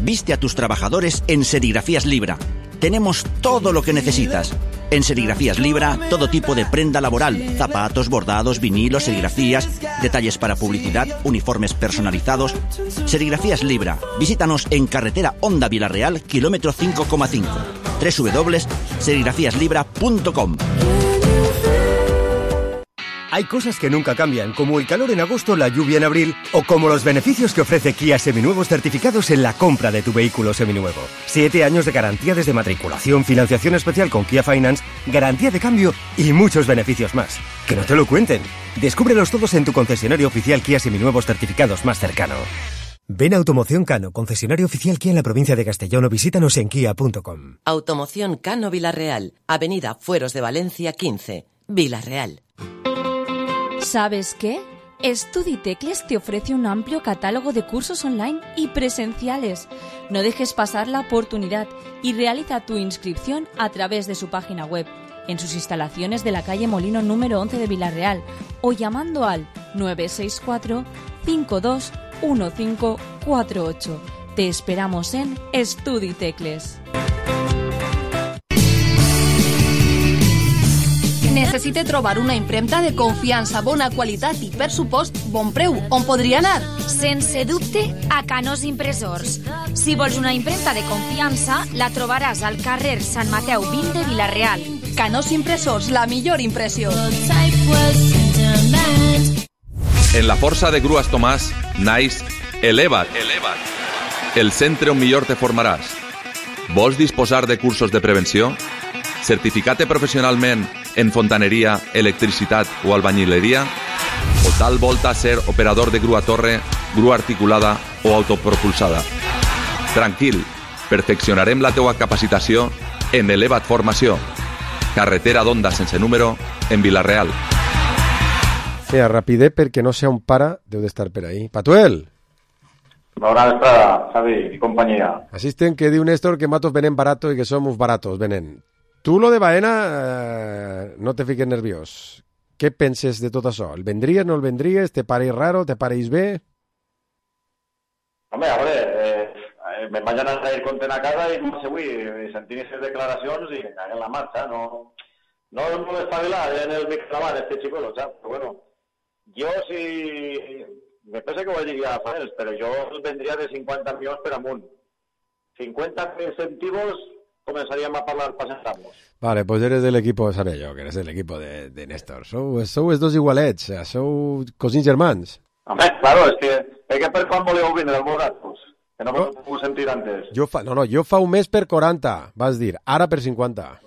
Viste a tus trabajadores en Serigrafías Libra. Tenemos todo lo que necesitas. En Serigrafías Libra, todo tipo de prenda laboral, zapatos, bordados, vinilos, serigrafías, detalles para publicidad, uniformes personalizados. Serigrafías Libra. Visítanos en carretera Honda Villarreal, kilómetro 5,5. www.serigrafiaslibra.com. Hay cosas que nunca cambian, como el calor en agosto, la lluvia en abril, o como los beneficios que ofrece Kia Seminuevos certificados en la compra de tu vehículo seminuevo. 7 años de garantía desde matriculación, financiación especial con Kia Finance, garantía de cambio y muchos beneficios más. Que no te lo cuenten. Descúbrelos todos en tu concesionario oficial Kia Seminuevos certificados más cercano. Ven a Automoción Cano, concesionario oficial Kia en la provincia de Castellón, o visítanos en kia.com. Automoción Cano Villarreal, Avenida Fueros de Valencia 15, Villarreal. ¿Sabes qué? Estuditecles te ofrece un amplio catálogo de cursos online y presenciales. No dejes pasar la oportunidad y realiza tu inscripción a través de su página web, en sus instalaciones de la calle Molino número 11 de Villarreal, o llamando al 964 52 1548. Te esperamos en Estuditecles. Necessite trobar una impremta de confiança, bona qualitat i, per supost, bon preu. On podria anar? Sense dubte, a Canós Impressors. Si vols una impremta de confiança, la trobaràs al carrer Sant Mateu 20 de Villarreal. Canós Impressors, la millor impressió. En la força de Grues Tomàs, naix Eleva't. El centre on millor te formaràs. Vols disposar de cursos de prevenció? Certificat professionalment en fontaneria, electricitat o albañileria? O tal volta ser operador de grua torre, grua articulada o autopropulsada? Tranquil, perfeccionarem la teua capacitació en Eleva't Formació. Carretera d'Onda sense número, en Vilareal. Mira, rapidez perquè no sea un pare, deu d'estar per ahí. Patuel! Bona vesprada, Javi i companyia. Asisten que diu Néstor que matos venen barato y que somos baratos, venen. Tu lo de Baena, no te fiques nerviós. Què penses de tot això? El vendries, no el vendries? Te pareix raro? Te pareix bé? Home, a veure, me'n vaig anar a ir content a casa i no sé avui, sentint aquestes declaracions i me cagué en la marxa. No m'espavilar en el microbant, este xicolo, saps? Però bueno, jo si... Me pensa que ho vaig dir ja fa anys, però jo el vendria de 50 milions per amunt. 50 incentivos... comenzaríamos a hablar para sentarnos. Vale, pues eres del equipo de Sanello, que eres del equipo de Néstor. Sou els dos igualets, sou cosins germans. Home, claro, és que per quan voleu vindre al Morat, pues, que no m'ho puc sentir antes. Jo fa un mes per 40, vas dir, ara per 50.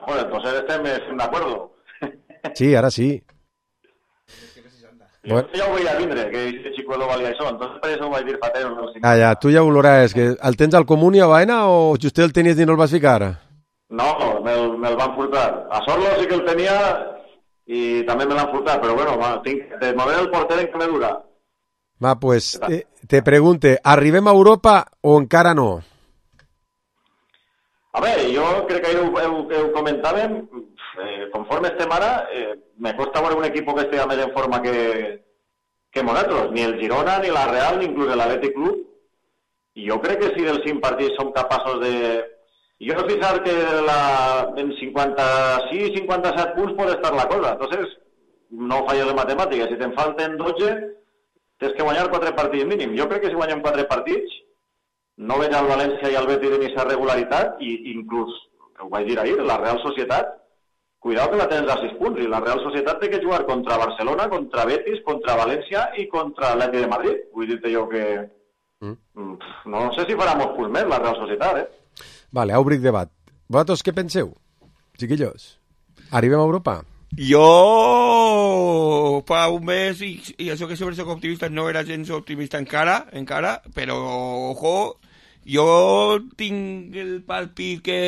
Bueno, entonces estem de acuerdo. Sí, ara sí. Bueno. Jo ja ho veia vindre, que aquest xicuelo valia això, entonces per això ho vaig dir fa temps. Ja, tu ja ho veuràs, que el tens al Comuni a Baena o just el tenies i no el vas ficar? No, me'l van furtar. A Sorlo sí que el tenia i també me l'han furtat, però bueno, tinc de mover el porter en que me dura. Va, pues, te pregunte, arribem a Europa o encara no? A veure, jo crec que ho comentàvem, conforme estem ara, me costa veure un equip que estigui més en forma que nosaltres, ni el Girona, ni la Real, ni inclús l'Atlètic Club. I jo crec que si dels 5 partits som capaços de... Jo no pensar que en 56-57 punts pot estar la cosa. Entonces, no falles de matemàtiques. Si te'n falten 12, tens que guanyar 4 partits mínim. Jo crec que si guanyem 4 partits, no veig al València i al Betis de aquesta regularitat, i inclús, ho vaig dir ahir, la Real Societat, cuidado que la tens a 6 punts, i la Real Societat té que jugar contra Barcelona, contra Betis, contra València i contra l'Atlètic de Madrid. Vull dir-te jo que No sé si farà molts punts més la Real Societat, Vale, obric debat. Vosaltres què penseu, chiquillos? Arribem a Europa? Jo fa un mes, i això que sempre soc optimista, no era gens optimista encara, però, ojo, jo tinc el palpit que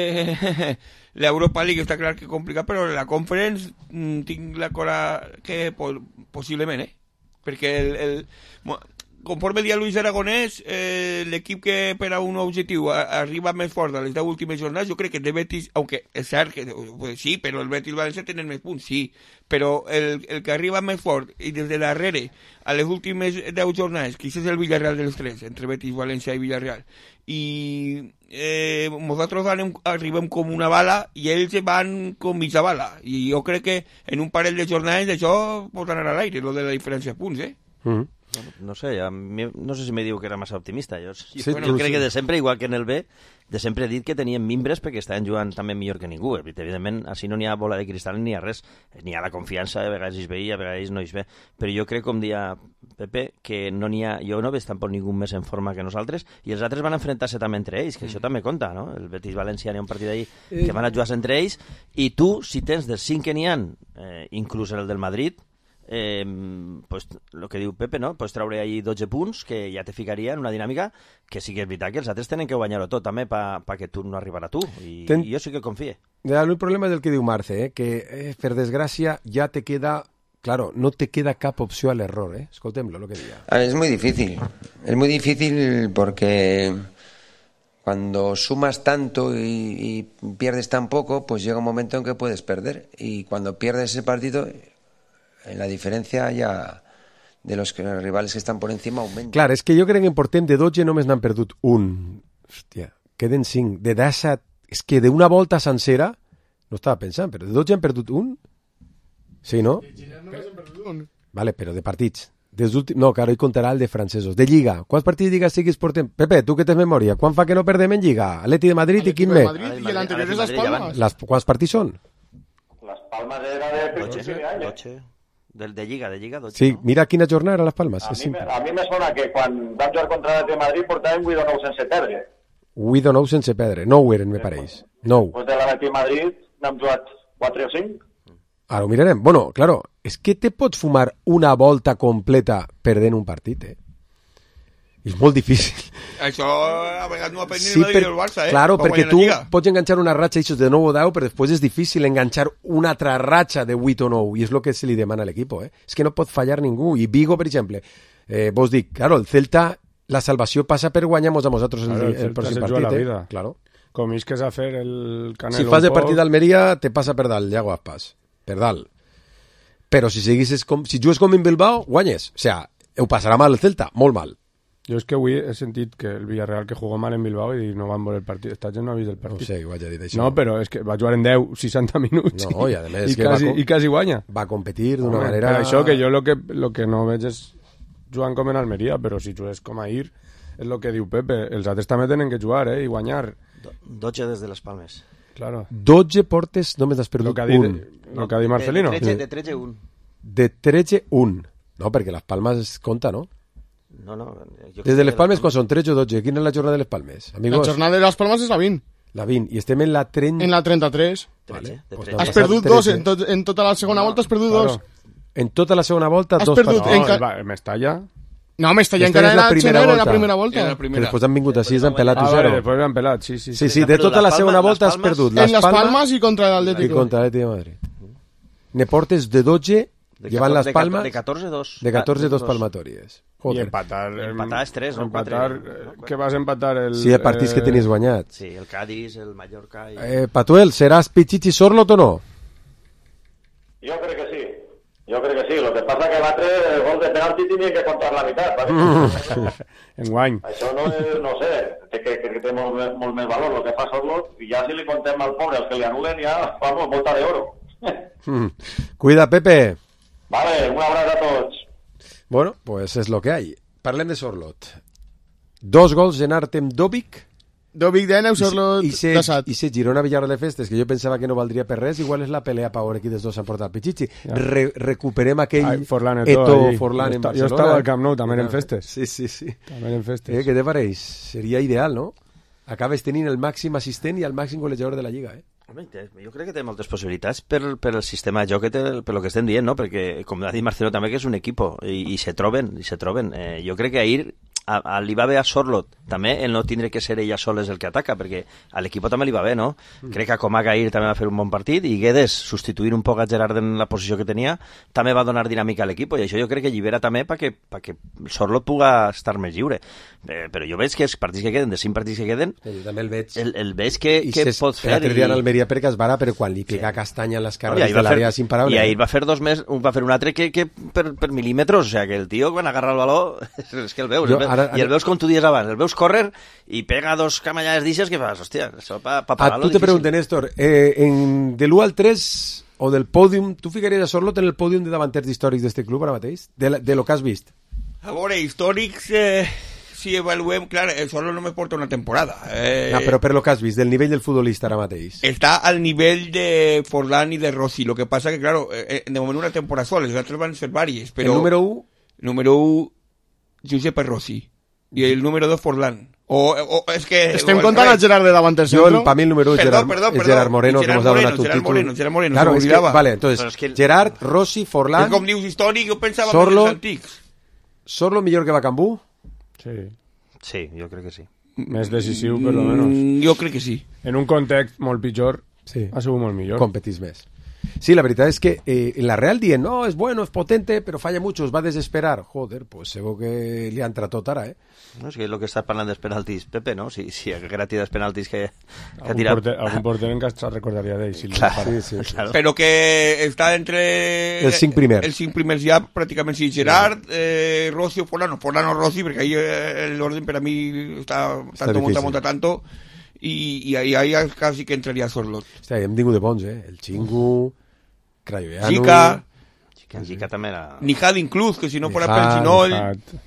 l'Europa League està clar que complicat, però la Conference tinc la cosa que possiblement, perquè conforme dia Luis Aragonès, l'equip que per a un objectiu arriba més fort a les 10 últimes jornades, jo crec que el Betis, aunque és cert que sí, però el Betis i el València tenen més punts, sí, però el que arriba més fort i des de darrere a les últimes 10 jornades, que és el Villarreal dels tres, entre Betis, València i Villarreal, i nosaltres arribem com una bala i ells van com mitja bala, i jo crec que en un parell de jornades això pot anar a l'aire, lo de la diferència de punts, No sé, a mi, no sé si me diu que era massa optimista. Jo bueno, crec que de sempre, igual que en el B, de sempre he dit que tenien mimbres perquè estaven jugant també millor que ningú. Evidentment, així no n'hi ha bola de cristal ni hi ha res. N'hi ha la confiança, a vegades es ve i a vegades no es ve. Però jo crec, com dia Pepe, que no n'hi ha... Jo no veig tampoc ningú més en forma que nosaltres, i els altres van enfrontar-se també entre ells, que això també compta, no? El Betis-València n'hi ha un partit d'ahir que van a jugar entre ells, i tu, si tens dels 5 que n'hi ha, inclús el del Madrid, pues lo que diu Pepe, no? Pues traure ahí 12 punts que ja te ficaria en una dinàmica que sí que és veritat que els altres tenen que guanyar-ho tot també perquè tu no arribarà a tu i jo sí que confie. El problema és el que diu Marce, que per desgràcia ja te queda, claro, no te queda cap opció a l'error, escoltem-lo lo que diga. Es muy difícil porque cuando sumas tanto y pierdes tan poco, pues llega un momento en que puedes perder, y cuando pierdes ese partido la diferència ja de los rivals que estan por encima augmenta. Clar, és que jo crec que en portem de 12 només n'han perdut un. Hòstia, queden 5. De 17, és que d'una volta sencera, no estava pensant, però de 12 han perdut un? Sí, no? Vale, però de partits. No, claro, hi comptarà el de francesos. De Lliga. Quants partits de Lliga siguis portem? Pepe, tu que tens memòria, quan fa que no perdem en Lliga? Atleti de Madrid i quin més? I l'anterior és les Palmes. Quants partits són? Les Palmes era de principi d'any. De Lliga, 12. Sí, no? Mira quina jornada eren les Palmes. A mi me sona que quan vam jugar contra el de Madrid portàvem 8 o 9 sense perdre. 8 o 9 sense perdre. 9 eren, me pareix. 9. Pues de l'Atleti de Madrid n'hem jugat 4 o 5. Ara ho mirarem. Bueno, claro, és que te pots fumar una volta completa perdent un partit, És molt difícil. Això a vegades no ha aprendit el Madrid i el Barça, Claro, perquè tu pots enganxar una ratxa de 9 o 10, però després és difícil enganxar una altra ratxa de 8 o 9, i és el que se li demana a l'equip, És que no pot fallar ningú. I Vigo, per exemple, vos dic, claro, el Celta, la salvació passa per guanyar-nos a nosaltres el pròxim partit, Claro. Com isques a fer el Canelo. Si fas de partit d'Almeria, te passa per dalt, Iago Aspas, per dalt. Però si jugues com en Bilbao, guanyes. O sea, ho passarà mal el Celta, molt mal. Jo és que avui he sentit que el Villarreal que jugó mal en Bilbao i no van veure el partit. Esta gent no ha vist el partit. No sé, ho vaig a dir d'això. No, però és que va jugar en 10, 60 minuts no, i, a més, i quasi guanya. Va competir d'una manera... Per això que jo lo que no veig és jugant com en Almeria, però si jugues com ahir, és el que diu Pepe. Els altres també tenen que jugar, i guanyar. 12 des de les Palmes. Claro. 12 portes només has perdut un. El que ha dit Marcelino. De 13, 1. De 13, 1. No, perquè les Palmes compta, no? No. Des de les Palmes, quan són 13 o 12? Quina és la jornada de les Palmes? Amigos? La jornada de les Palmes és la 20. La 20. I estem en la 30... En la 33. Vale. Has perdut 2. En tota la segona volta has perdut 2. En tota la segona volta, has 2 partits. No, Mestalla... No, Mestalla encara era la primera volta. Després han vingut així, han pelat 1-0. Després han pelat, sí. Sí, de tota la segona volta has perdut. En les Palmes i contra l'Atlètic. I contra l'Atlètic de Madrid. Ne portes de 12... Llevan las Palmas de 14-2. De 14-2 palmatorias. Joder. I empatar és 3, no 4. Que vas empatar el... Sí, partits que tenies guanyat. Sí, el Cádiz, el Mallorca... Patuel, ¿serás Pichichi Sorlot o no? Jo crec que sí. Lo que pasa que l'altre gol de penalti tenia que contar la meitat. Enguany. Això no sé, que té molt més valor el que fa Sorlot, i ja si li contem al pobre els que li anulen, ja vamos, volta d'oro. Cuida, Pepe. Vale, un abrazo a tots. Bueno, pues es lo que hay. Parlem de Sorlot. 2 gols en Artem Dobic Vic de neu, Sorlot I se Girona-Villarreal de festes, que jo pensava que no valdria per res, igual és la pelea per veure qui dels dos s'han portat el Pichichi. Recuperem aquell Forlán en Barcelona. Jo estava al Camp Nou també en festes. Sí. També en festes. Què te pareix? Seria ideal, no? Acabes tenint el màxim assistent i el màxim golejador de la Lliga, Home, jo crec que té moltes possibilitats per el sistema de joc, per el que estem dient, no? Perquè, com ha dit Marcelo també, que és un equip i se troben. Jo crec que ahir li va bé a Sorlot també el no tindre que ser ella soles el que ataca, perquè a l'equip també li va bé, no? Crec que Comac ahir també va fer un bon partit i Guedes, substituint un poc a Gerard en la posició que tenia, també va donar dinàmica a l'equip, i això jo crec que llibera també perquè Sorlot puga estar més lliure. Però jo veig que els partits que queden, de 5 partits que queden, també el veig. El veig que pot fer. L'altre dia en Almeria perquè es vara, però quan li pega castanya en les carreres de l'àrea és imparable. I ahir va fer dos més, va fer un altre que per mil·límetres, o sigui, que el tio quan agarra el baló és que el veus, i el veus com tu dies abans, el veus córrer i pega dos camallades d'ixes que fas, hòstia, això pa parar-lo. Tu te preguntes, Néstor, de l'1 al 3 o del pòdium, tu ficaries a Sorlot en el pòdium de davanters històrics d'este club ara mateix? De lo que has vist? A veure, històrics, si avaluem, clar, Sorlot només porta una temporada. No, però per lo que has vist, del nivell del futbolista ara mateix. Està al nivell de Forlán i de Rossi, lo que passa que, claro, de moment una temporada sola, les altres van ser vàries, però... El número 1? Número 1, Giuseppe Rossi. I el número 2, Forlán. És que... Estem contant el Gerard de davanter centro? Para mí el número 1 es Gerard Moreno, que nos ha donat un títol. Gerard Moreno, claro, se m'oblidava. Vale, entonces, Gerard, Rossi, Forlán... Com dius històric, jo pensava que eren els antics. Sorlot millor que Bacambú? Sí, jo crec que sí. Més decisiu, per lo menos. Jo crec que sí. En un context molt pitjor, ha sigut molt millor. Competís més. Sí, la verdad es que en la Real dien, no, es bueno, es potente, pero falla mucho, os va a desesperar. Joder, pues segur que li han tratat ara, No, és que el que estàs parlant dels penaltis, Pepe, no? Si haguera tirat penaltis que ha tirat... Algun porter en casa recordaria d'ell. Si claro. Però que està entre... Els 5 primers. Els 5 primers ja, pràcticament, sí. Gerard, Rossi o Forlán o Rossi, perquè ahí l'orden per a mi està tanto, tanto, i ahí casi que entraria Sorlot. Hòstia, hem tingut de bons, El Chingu, Crayoveanu... Gica també era... Nijad inclús, que si no fuera per Ginoll...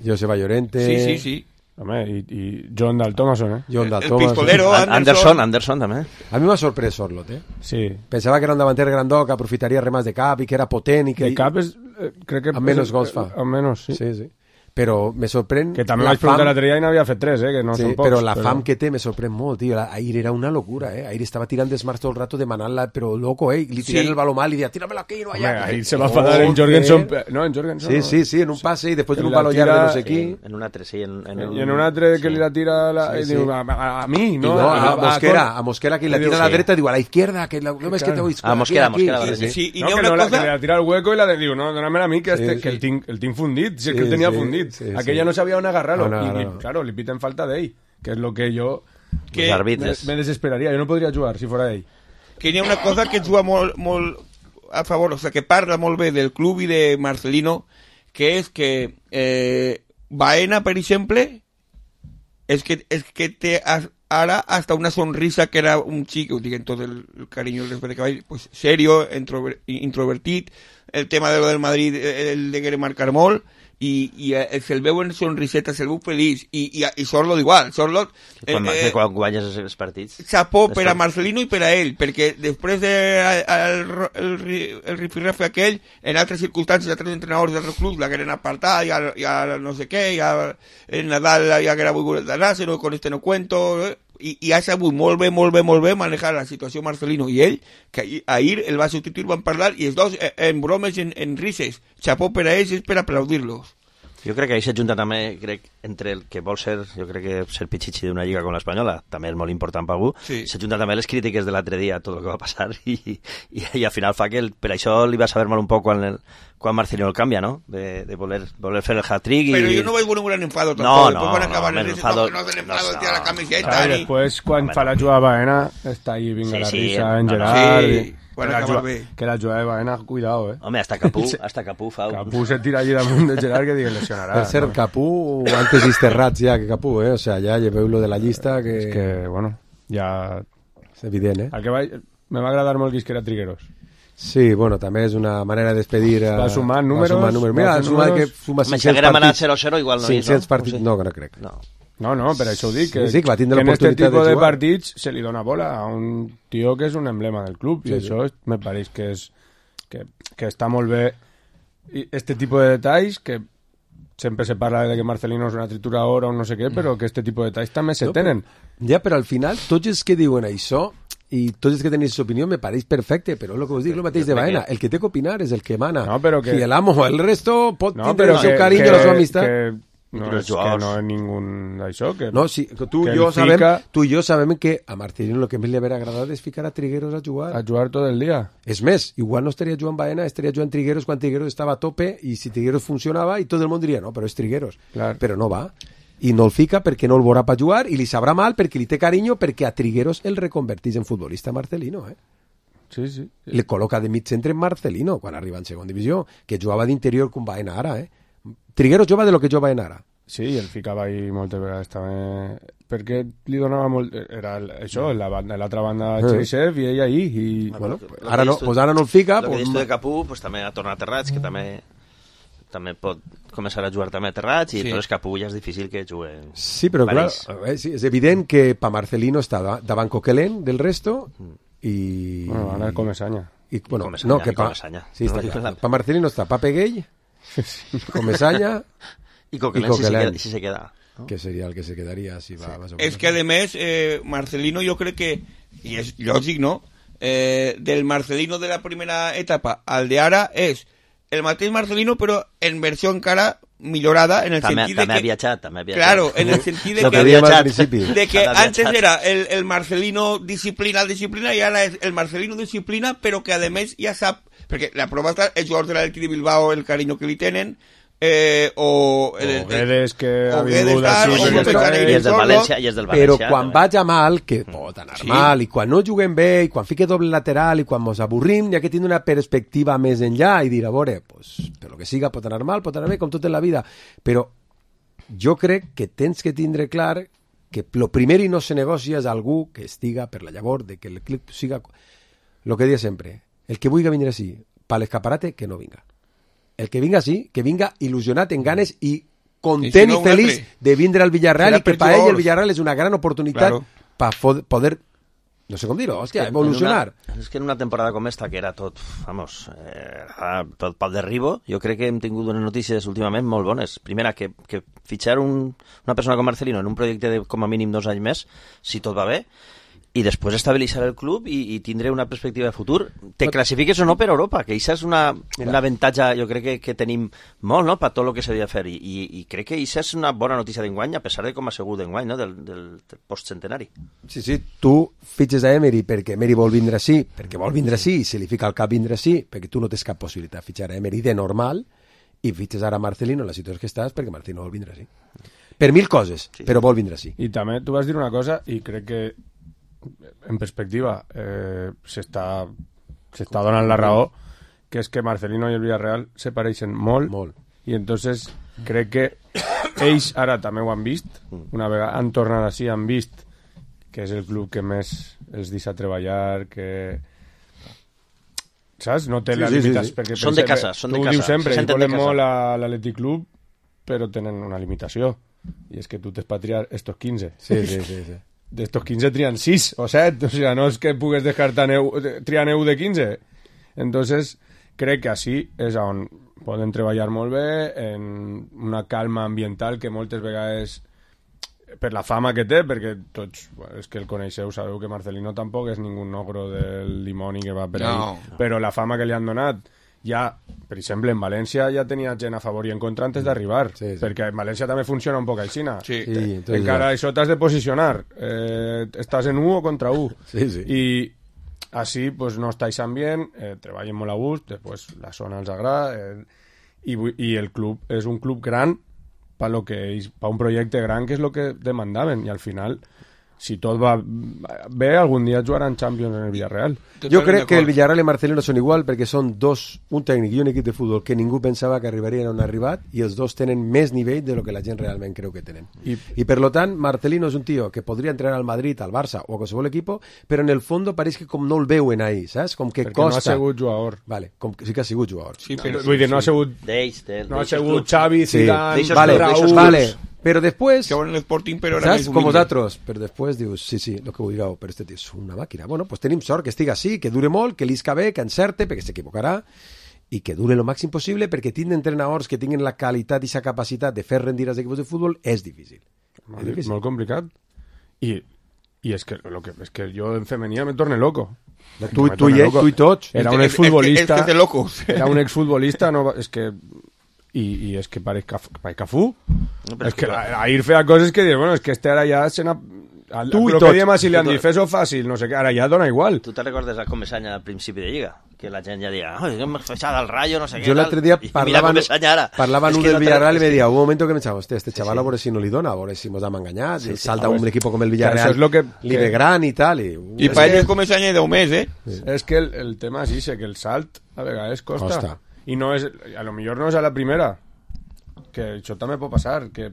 Joseba Llorente... Sí. Home, i John Dal Thomason, John Dal el Thomason. pistolero, Anderson també. A mi m'ha sorprès Sorlot, Sí. Pensava que era un davanter grandó, que aprofitaria remas de cap i que era potent i que... De cap és... crec que... Amb menys gols fa. Amb menys, sí. Sí. Però me sorprèn... Que també vaig preguntar l'altre dia i n'havia fet 3, que no són pocs. Però la fam que té me sorprèn molt, tio. Ahir era una locura, Ahir estava tirant desmarts tot el rato demanant-la, però loco, Li tirant el baló mal i deia, tírame-la aquí, no allà. Ahir se va enfadar en Jorgensen. No, en Jorgensen. Sí, en un passe i després en un baló llarg de no sé qui. En un altre, sí. I en un altre que li la tira i diu, a mi, no? A Mosquera, que la tira a la dreta, diu, a la izquierda, que no ves que te voy... A Mosquera. Sí, i que la tira al hueco i la diu, no, dóname a mi, que el tinc fundit, si és que el tenia fundit. Aquella no sabía on agarrarlo. No. Claro, li piten falta d'ell, que és lo que jo me desesperaria. Jo no podria jugar si fora ell. Que hi ha una cosa que juga molt a favor, o sea, que parla molt bé del club i de Marcelino, que és que Baena, per exemple, és que té ara hasta una sonrisa que era un xic, ho dic en tot el carinyo del respecte que vaig, pues serio, introvertit, el tema de lo del Madrid, el de querer marcar molt, i se'l veu en sonriseta, se'l veu feliç, i Sorlot igual. Sorlot quan guanyes els partits, xapó per a Marcelino i per a ell, perquè després el rifirrafe aquell, en altres circumstàncies, altres entrenadors d'altres clubs l'hagueren apartat, ja no sé què, ja el Nadal ja haguera volgut d'anar-se, no, con este no cuento, i ha sabut molt bé manejar la situació Marcelino i ell, que ahir el va substituir, van parlar, i els dos en bromes, en rises, xapó per a ells, és per aplaudir-los. Jo crec que ahí s'ajunta també, entre el que vol ser, jo crec que ser Pichichi d'una lliga com l'Espanyola, també és molt important per algú, s'ajunta també les crítiques de l'altre dia, tot el que va passar, i al final fa que per això li va saber mal un poc quan Marcelino el canvia, ¿no? De voler fer el hat-trick. Pero yo no voy con un gran enfado tampoco. No se tira la camiseta. Y después, cuando fa la jugada Baena, está ahí, venga la risa en Gerard. Que la jugada de Baena, cuidado, Home, hasta Capú fa... Capú se tira allí damunt de Gerard que digue lesionarà. Per ser Capú, antes Isterrats ja que Capú, O sea, ja lleveu-lo de la llista que... És que, bueno, ja... És evident, El que me va agradar molt que era Trigueros. Sí, bueno, també és una manera de despedir... Va sumant números. Mira, ha sumat que suma 500 partits. Si haguera manat 0-0 igual no 500 partits, no crec. No. No, per això ho dic, que que va tindre en este l'oportunitat tipus de de jugar. partits se li dona bola a un tio que és un emblema del club, i això me pareix que és que està molt bé. I este tipus de detalls que sempre se parla de que Marcelino és una trituradora o no sé què, però que este tipus de detalls també se tenen. Ja, però al final, tots els que diuen això i tots els que tenen aquesta opinió me pareix perfecte, però el que us dic, el mateix de Baena, el que té que opinar és el que mana. No, però que... I el amo, el resto pot tindre el seu carinyo, la seva amistat. No és que no és ningú d'això. No, sí, tu i jo sabem que a Marcelino el que més li hauria agradat és ficar a Trigueros a jugar. A jugar tot el dia. És més, igual no estaria jugant Baena, estaria jugant Trigueros quan Trigueros estava a tope i si Trigueros funcionava i tot el món diria, no, però és Trigueros. Clar. Però no va. I no el fica perquè no el veurà per jugar i li sabrà mal perquè li té carinyo perquè a Trigueros el reconvertís en futbolista Marcelino, Sí, sí. Le col·loca de mig centre en Marcelino quan arriba en segona divisió, que jugava d'interior com Baena ara, Trigueros jova de lo que jova en ara. Sí, i el ficava ahí moltes vegades també, perquè li donava molt... Era això, l'altra banda Cherisev i ell ahí. I, bueno, ara no el fica. El que dius tu de Capú, pues, també ha tornat a Terrats, que també pot començar a jugar també a Terrats, i entonces Capú ja és difícil que jugui. Sí, però clar, és evident que pa Marcelino està davant Coquelin del resto i... Bueno, ara Comesaña. No, que pa Marcelino està pa Peguell, Comesaña... Y Coquelin si se queda, ¿no? Que sería el que se quedaría si va más o menos. Es que además Marcelino yo creo que, y es lógico, ¿no? Del Marcelino de la primera etapa al de ara es el mateix Marcelino pero en versión cara millorada en el sentido de que... viajat. Claro, en el sentido de que antes era el Marcelino disciplina y ahora es el Marcelino disciplina pero que además ya sabe, porque la prueba está el jugador de l'Atlètic de Bilbao, el cariño que li tenen, o Guedes que ha vingut i és del València. Però quan vaja mal, que pot anar mal, i quan no juguem bé, i quan fique doble lateral, i quan mos avorrim, hi ha que tindre una perspectiva més enllà i dir, a veure, pues, per lo que siga pot anar mal, pot anar bé, com tot en la vida. Però jo crec que tens que tindre clar que lo primer i no se negocia és algú que estiga per la llavor de que el club siga... Lo que dia sempre, el que vulgui venir així, per l'escaparate, que no vinga. El que vinga sí, que vinga il·lusionat en ganes i content i feliç de vindre al Villarreal i que per ell el Villarreal és una gran oportunitat per poder, no sé com dir-ho, hòstia, evolucionar. És que en una temporada com esta, que era tot, tot pel derribo, jo crec que hem tingut unes notícies últimament molt bones. Primera, que fitxar una persona com Marcelino en un projecte de com a mínim 2 anys més, si tot va bé, i després estabilitzar el club i tindre una perspectiva de futur. Te classifiques o no per Europa, que això és un avantatge, jo crec que tenim molt, no?, per tot el que s'havia de fer, i crec que això és una bona notícia d'enguany, a pesar de com ha sigut d'enguany, no?, del postcentenari. Sí, tu fitxes a Emery perquè Emery vol vindre així, i se li fica al cap vindre així, perquè tu no tens cap possibilitat de fitxar a Emery de normal, i fitxes ara a Marcelino en la situació que estàs perquè Marcelino vol vindre així. Per 1000 coses, però vol vindre així. I també tu vas dir una cosa, i crec que en perspectiva s'està donant la raó, que és que Marcelino i el Villarreal se pareixen molt. I entonces crec que ells ara també ho han vist, una vegada han tornat així, han vist que és el club que més els deixa treballar, que saps? No té la limitació. Són de casa. Tu ho dius sempre, ells volen molt a l'Atlètic Club, però tenen una limitació, i és que tu t'has patriar estos 15. Sí. D'estos 15 trien 6 o 7, o sigui, no és que pugues descartar triar 9 de 15. Entonces, crec que així és on poden treballar molt bé, en una calma ambiental que moltes vegades, per la fama que té, perquè tots, és que el coneixeu, sabeu que Marcelino tampoc és ningú ogro del dimoni que va per ahí, però la fama que li han donat, ja, per exemple, en València ja tenia gent a favor i en contra antes d'arribar, perquè en València també funciona un poc aixina. Encara això t'has de posicionar, estàs en 1 o contra 1. I així pues, no estáis ambient, treballen molt a gust, després la zona els agrada, i el club és un club gran per un projecte gran, que és el que demandaven, i al final, si tot va bé, algun dia jugaran Champions en el Villarreal. Jo crec que el Villarreal i Marcelino són igual perquè són un tècnic i un equip de futbol que ningú pensava que arribarien on han arribat, i els dos tenen més nivell de lo que la gent realment creu que tenen. I per lo tant, Marcelino és un tio que podria entrenar al Madrid, al Barça o a qualsevol equip, però en el fons pareix que com no el veuen ahí, saps? Com que perquè costa. No ha sigut jugador. Vale, sí que ha sigut jugador. Vull dir, no ha sigut Xavi, Zidane, Raúl. Però després... Que en l'Sporting, però era saps? Com vosaltres. Però després dius, sí, el que vulgueu, però este tio és una màquina. Bueno, pues tenim sort que estigui així, que dure molt, que l'isca bé, que encerte, perquè s'equivocarà, i que dure el màxim possible, perquè tindre entrenadors que tinguin la qualitat i la capacitat de fer rendir els equips de futbol és difícil. Molt complicat. I és que jo en femení me torne loco. Tu i tots. Era un exfutbolista. És de locos. Era un exfutbolista, no, és que... I és que pareix Cafú. És que ahir feia coses que dius, bueno, és que este ara ja se n'ha... Tu i tots. Que diem a si li han dit, fes-ho fàcil, no sé què, ara ja dona igual. Tu te recordes a Comesanya al principi de Lliga? Que la gent ja deia, que m'he fechado al Rayo, no sé què. Jo l'altre dia parlaven un del Villarreal i me deia, un momento que me echaba, este chaval a veure si no li dona, a veure si mos hem enganyat, salta un equip com el Villarreal, li ve gran i tal. I per ell Comesanya de 10 mesos, És que el tema és això, que el salt a vegades costa. I no és, a lo millor no és a la primera, que això també pot passar, que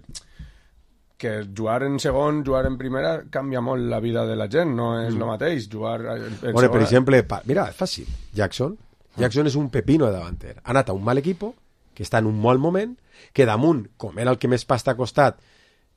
jugar en segon, jugar en primera canvia molt la vida de la gent, no és el mateix jugar en segona. Per exemple, mira, és fàcil, Jackson és un pepino de davanter, ha anat a un mal equipo que està en un mal moment, que damunt, com era el que més pasta ha costat,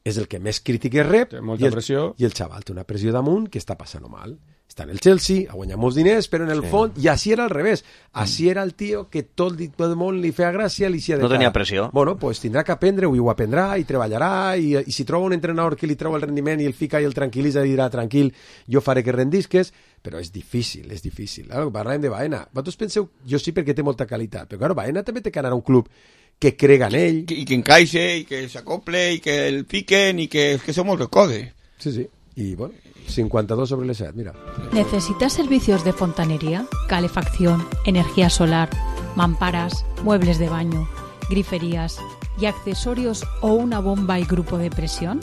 és el que més crítiques rep, i el xaval té una pressió damunt que està passant mal. Està en el Chelsea, ha guanyat molts diners, però en el fons, i així era al revés. Així era el tio que tot el món li feia gràcia, li no tenia pressió. Bueno, pues tindrà que aprendre, ho aprendrà, i treballarà, i si troba un entrenador que li treu el rendiment i el fica i el tranquil·litza i dirà, tranquil, jo faré que rendisques, però és difícil. Parlem de Baena. Vosaltres penseu, jo sí perquè té molta qualitat, però claro, Baena també té que anar a un club que crega en ell. I que encaixe, i que s'acople, i que el fiquen, i que són moltes coses. Sí. Y bueno, 52 sobre el 7, mira. ¿Necesitas servicios de fontanería, calefacción, energía solar, mamparas, muebles de baño, griferías y accesorios o una bomba y grupo de presión?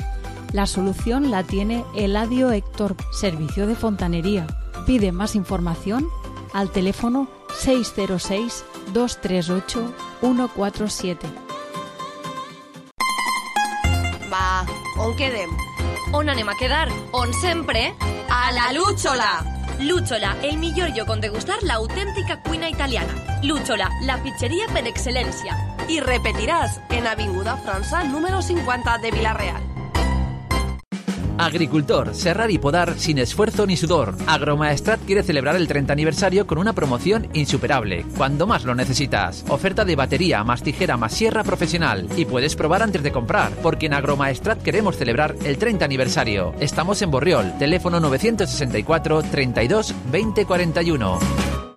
La solución la tiene Eladio Héctor, Servicio de Fontanería. Pide más información al teléfono 606 238 147. Va, on quedem? On anem a quedar? On sempre? A la Lúchola! Lúchola, el millor lloc on degustar l'autèntica cuina italiana. Lúchola, la pizzeria per excel·lència. I repetiràs en Avinguda França, número 50 de Villarreal. Agricultor, serrar y podar sin esfuerzo ni sudor. Agromaestrat quiere celebrar el 30 aniversario con una promoción insuperable, cuando más lo necesitas. Oferta de batería, más tijera, más sierra profesional. Y puedes probar antes de comprar, porque en Agromaestrat queremos celebrar el 30 aniversario. Estamos en Borriol, teléfono 964 32 20 41.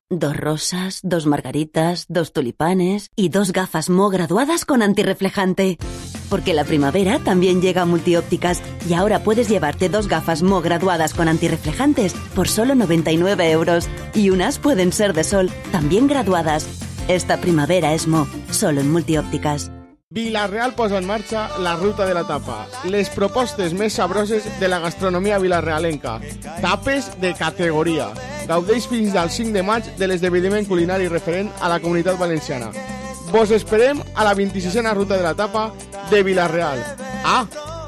2 rosas, 2 margaritas, 2 tulipanes y 2 gafas Mo graduadas con antirreflejante. Porque la primavera también llega a Multiópticas y ahora puedes llevarte 2 gafas Mo graduadas con antirreflejantes por solo 99 €. Y unas pueden ser de sol, también graduadas. Esta primavera es Mo, solo en Multiópticas. Villarreal posa en marxa la ruta de la tapa, les propostes més sabroses de la gastronomia vilarrealenca, tapes de categoria. Gaudeix fins al 5 de maig de l'esdeveniment culinari referent a la Comunitat Valenciana. Vos esperem a la 26a ruta de la tapa de Villarreal.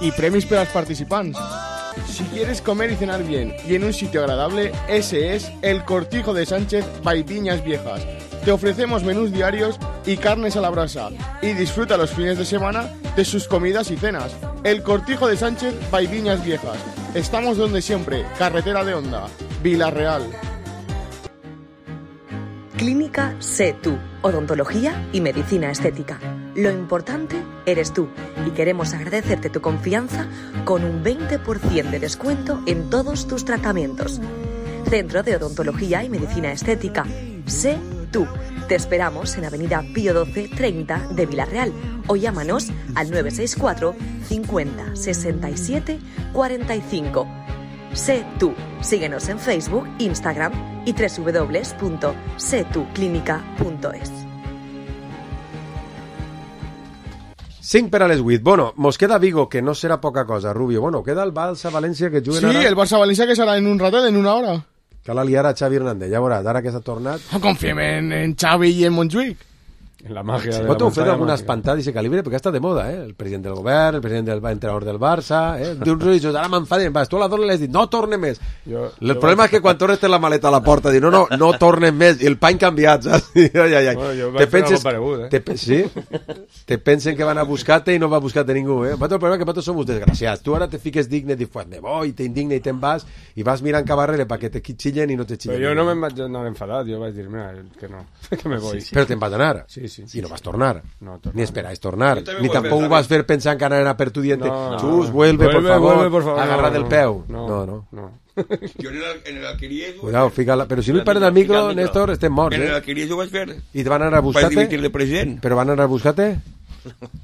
Y premis para los participantes. Si quieres comer y cenar bien y en un sitio agradable, ese es el Cortijo de Sánchez by Viñas Viejas. Te ofrecemos menús diarios y carnes a la brasa, y disfruta los fines de semana de sus comidas y cenas. El Cortijo de Sánchez by Viñas Viejas. Estamos donde siempre, carretera de Honda, Villarreal. Clínica Sé Tú, odontología y medicina estética. Lo importante eres tú y queremos agradecerte tu confianza con un 20% de descuento en todos tus tratamientos. Centro de Odontología y Medicina Estética. Sé Tú. Te esperamos en Avenida Pío XII 30 de Villarreal o llámanos al 964 50 67 45. Sé Tú. Síguenos en Facebook, Instagram y www.setuclinica.es. 5 per a les 8. Bueno, mos queda Vigo, que no serà poca cosa, Rubio. Bueno, queda el Barça-València que juguen ara. Sí, el Barça-València que serà en un ratet, en una hora. Cal aliar a Xavi Hernández, ja veuràs, ara que s'ha tornat. No confiem en Xavi i en Montjuïc. La màgia de la Vosaltres heu fet muntanya alguna màgica. espantada d'aquest calibre? Perquè està de moda, el president del govern, el president del entrenador del Barça, d'uns religiosos, ara m'enfaden, vas, tu a la dona li has dit, no tornes més. El problema és que quan tornes té la maleta a la porta, diu, no tornes més, i el pany canviat, saps? Ai. Bueno, jo vaig fer algo paregut, Sí? Te pensen que van a buscar-te i no va a buscar-te ningú, El problema és que vosaltres som uns desgraciats. Tu ara te fiques digne, dius, pues me voy, t'indigna i te'n vas, i vas mirant cap arrere perquè te xillen i no te xillen. Però jo no me'n vaig anar enfadat, jo vaig dir, mira, que no, que me voy. Però te'n vas anar. Sí. I no vas tornar. No, ni esperáis tornar, ni voy tampoco a vas a ver pensando que anarán a per tu diente. No, Chus, vuelve, por favor, agarra del peu. No. Jo en el Alqueries... Cuidado, fíjala. Pero si no pares del micro, Néstor, estem morts, En el Alqueries ho vaig fer. I te van anar a buscar-te? Vaig dimitir de president. Però van anar a buscar-te?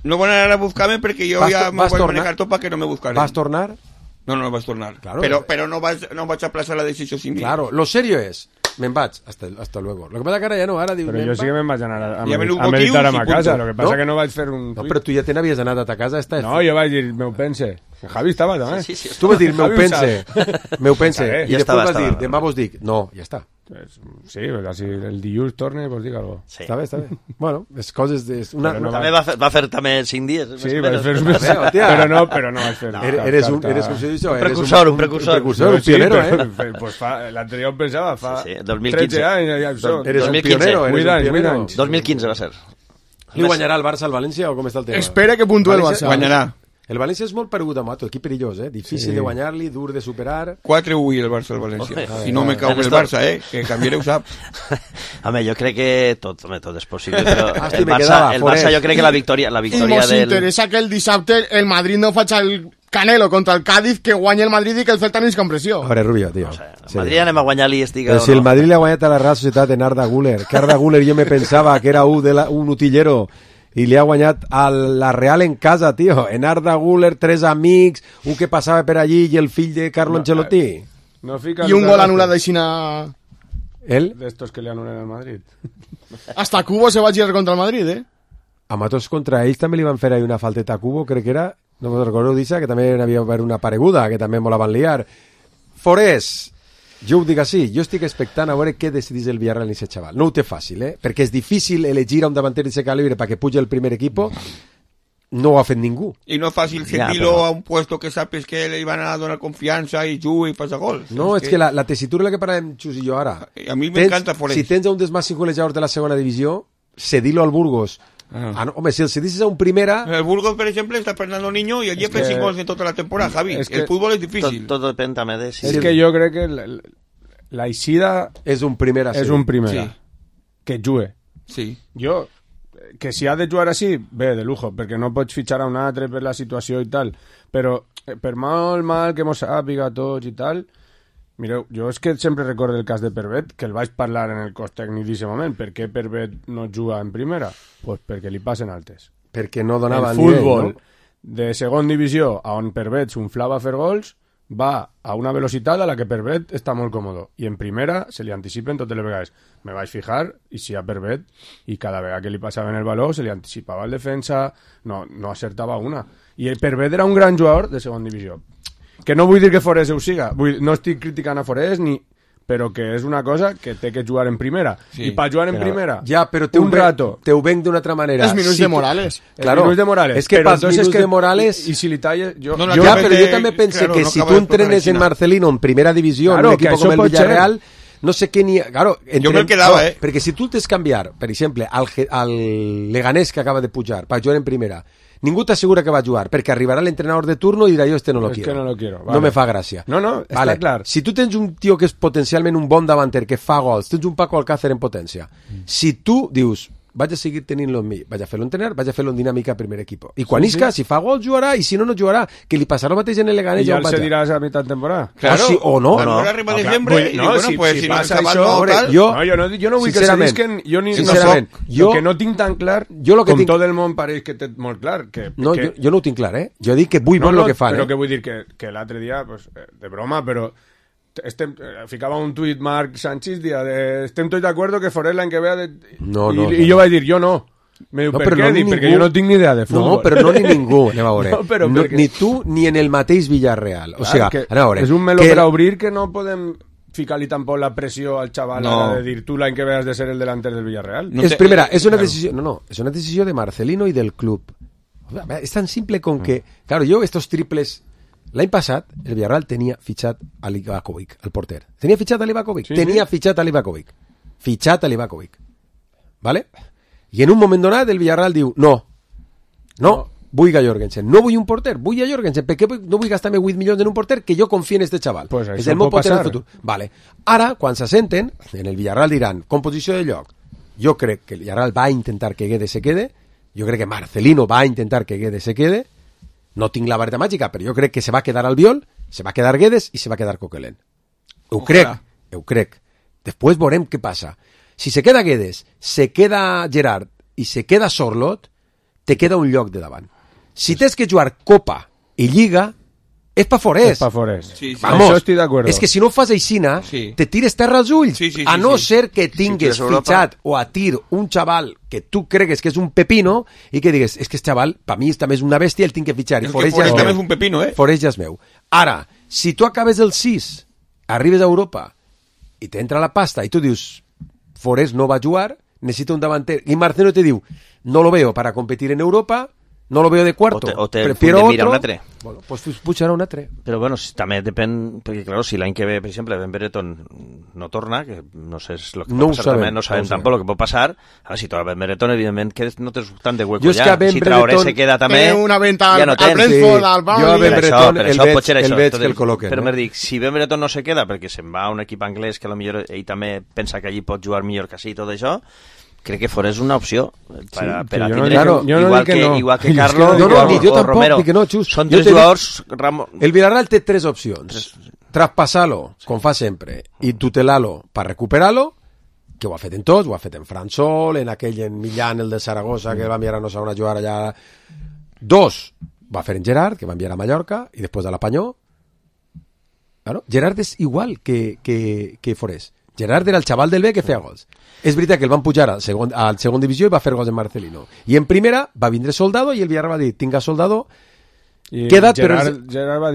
No van anar a buscar-me perquè jo ja me vaig manejar tot perquè no me buscaren. ¿Vas tornar? No vaig tornar. Claro. Pero no vaig aplazar la decisió sin mi. Claro, lo serio es... Me'n vaig, hasta luego. Lo que pasa que ara ja no, ara diu... Però jo sí que me'n vaig anar a Ja meditar a ma casa, punto. lo que pasa que no vaig fer un... No, però tu ja te n'havies anat a ta casa. No, jo vaig dir, meu pense. Javi estava també. Sí. Tu vas dir, meu pense. Meu pense. I després vas dir, demà vos dic. No, ja està. Sí, si el dilluns torne, pues dic algo. Sí. Està bé. Bueno, és coses de... També va fer també 5 dies. Sí, vaig fer un mes. Però no vaig fer. Eres un precursor, un pionero, Pues l'anterior em pensava, fa 2015. 13 anys. Eres un pionero. 8 anys. 2015 va ser. Li guanyarà el Barça al València o com està el tema? Espera que puntue el Barça. Guanyarà. El València és molt paregut amb Mato, equip perillós, difícil de guanyar-li, dur de superar. 4-1 el Barça al València. Si no me cau el Barça, que canviaré ho sap. Home, jo crec que tot és possible, però el Barça jo crec que la victòria I mos interessa que el dissabte el Madrid no faci el Canelo contra el Cádiz, que guanyi el Madrid i que el Celta no és con pressió. A veure, Rubio, tio. El Madrid anem a guanyar-li i estic... Però si el Madrid li ha guanyat a la Real Societat en Arda Güler, que Arda Güler jo me pensava que era un utillero i li ha guanyat a la Real en casa, tio. En Arda Güler, 3 amics, un que passava per allí i el fill de Carlo Ancelotti. I un gol anul·lat d'Aixina... ¿Él? D'estos que li anulen al Madrid. Hasta Cubo se va a girar contra el Madrid, A Matos contra ells també li van fer ahí una falteta a Cubo, crec que era, no me'n recordo d'Issa, que també n'havia haver una pareguda, que també me la van liar. Forés, jo ho dic així, jo estic expectant a veure què decidís el Villarreal en aquest xaval. No ho té fàcil, perquè és difícil elegir a un davanter d'aquest calibre perquè puja el primer equipo. No ho ha fet ningú. I no és fàcil sentir-lo a un puesto que sapes que li van a donar confiança i juga i passa gols. No, és que la tessitura de la que parlem Xus i jo ara... A mi m'encanta Forés. Si tens un dels màxims golejadors de la segona divisió, cedilo al Burgos. Home, si el cedisses a un primera... El Burgos, per exemple, està Fernando Niño i allí ha fet 5 gols en tota la temporada, Javi. El fútbol és difícil. Tot depèn també de... És que jo crec que la eixida... És un primera. És un primera. Que jugue. Sí. Jo... Que si ha de jugar així, bé, de lujo, perquè no pots fitxar a un altre per la situació i tal, però per molt mal que mos sàpiga tots i tal, mireu, jo és que sempre recordo el cas de Pervet, que el vaig parlar en el cos tècnic d'aquest moment. Per què Pervet no juga en primera? Pues perquè li passen altes. Perquè no donava el futbol de segon divisió, on Pervet s'unflava a fer gols, va a una velocitat a la que Pervet està molt còmodo. I en primera se li anticipen totes les vegades. Me vaig fijar i si a Pervet, i cada vegada que li passaven el valor se li anticipava el defensa, no acertava una. I el Pervet era un gran jugador de segon divisió. Que no vull dir que Forés ho siga, no estic criticant a Forés però que és una cosa que té que jugar en primera. I per jugar en primera, però un rato... Te ho venc d'una altra manera. Els minuts de Morales. Claro, minuts de Morales. És que pels minuts de Morales... I si li talles... Però jo també pense que si tu entrenes en Marcelino en primera divisió, en un equip com el Villarreal, no sé què ni... Claro, jo me'l quedava, perquè si tu tens canviar, per exemple, al Leganés que acaba de pujar, per jugar en primera, ningú t'assegura que va a jugar, perquè arribarà l'entrenador de turno i dirà jo no lo quiero. Que no lo quiero. Vale. No me fa gràcia. No, està clar. Si tu tens un tio que és potencialment un bon davanter, que fa gols, tens un Paco Alcácer en potència, si tu dius vaig a seguir tenint-lo en mi, vaig a fer-lo entrenar, vaig a fer-lo en dinàmica a primer equip. I quan isca, si fa gol jugarà, i si no jugarà, que li passarà el mateix en el Leganés. I ja el cediràs a mitjà temporada. Claro. O no. No arriba desembre, si passa això... Jo no vull que se disquen... Sincerament, jo que no tinc tan clar, com tot el món pareix que té molt clar. No, jo no ho tinc clar, Jo dic que vull veure el que fan. Però que vull dir que l'altre dia, de broma, però... ficava un tuit Marc Sánchez estem tots d'acord que Forés l'any que ve i jo vaig dir, jo no. Perquè jo no tinc ni idea de futbol. No, però no ni ningú, anem a veure. Ni tu ni en el mateix Villarreal. O sigui, anem a veure. És un meló per a obrir que no podem... ficar-li tampoc la pressió al xaval de dir tu l'any que ve has de ser el delanter del Villarreal. Es una decisión, es una decisión de Marcelino y del club. Es tan simple con que, claro, yo estos triples... L'any passat, el Villarreal tenia fitxat a Livakovic, el porter. Tenia fitxat a Livakovic? Sí, tenia fitxat a Livakovic. Fitxat a Livakovic. ¿Vale? I en un moment donat el Villarreal diu, no, vull a Jorgensen. No vull un porter, vull a Jorgensen. Per què no vull gastar-me 8 milions en un porter que jo confio en este xaval? Pues és el meu porter del futur. Vale. Ara, quan s'assenten, en el Villarreal diran, composició de lloc. Jo crec que el Villarreal va a intentar que Guedes se quede. Jo crec que Marcelino va a intentar que Guedes se quede. No tinc la vareta màgica, però jo crec que se va quedar Albiol, se va quedar Guedes i se va quedar Coquelin. Ho crec. Després veurem què passa. Si se queda Guedes, se queda Gerard i se queda Sorloth, te queda un lloc de davant. Si tens que jugar Copa i Lliga, és pa Forés. Sí. Vamos, això estic d'acord. És que si no fas aixina, te tires terra als ulls. A no ser que tingues fitxat o a tir un xaval que tu cregues que és un pepino i que digues, és que este xaval, per mi també és una bèstia, el tinc que fitxar. I Forés ja és un pepino, Forés ja és meu. Ara, si tu acabes el 6, arribes a Europa i t'entra la pasta i tu dius, Forés no va jugar, necessita un davanter. I Marcelo te diu, no lo veo para competir en Europa, no lo veo de cuarto, prefiero otro. Un altre. Bueno, pues pujarà un altre. Però bueno, també depèn, perquè claro, si l'any que ve, per exemple, Ben Brereton no torna, que no sé lo que no pot passar sabem, també, no sabem tampoc el que pot passar. Ara, si torna Ben Brereton, evidentment, que no tens tant de hueco jo ja. Si Traoré se queda també... una venta ja no al Brentford, al Burnley... Jo a Ben Brereton el veig que el col·loquen. Però m'he dit, si Ben Brereton no se queda perquè se'n va a un equip anglès que potser ell també pensa que allí pot jugar millor que sí i tot això, crec que Forés una opció per a tindre, igual que Carlos o Romero. Són tres jugadors... El Villarreal té tres opcions. Traspasar-lo, com fa sempre, i tutelar-lo per recuperar-lo, que ho ha fet en tots, ho ha fet en Fransol, en aquell en Millán, el de Saragossa, que va enviar a no saber a jugar allà. 2, va fer en Gerard, que va enviar a Mallorca, i després a la Panyó. Claro, Gerard és igual que Forés. Gerard era el xaval del B que feia gols. És veritat que el van pujar al segon divisió i va fer gols en Marcelino. I en primera va vindre Soldado i el Villarreal va dir, tinga Soldado, queda't, però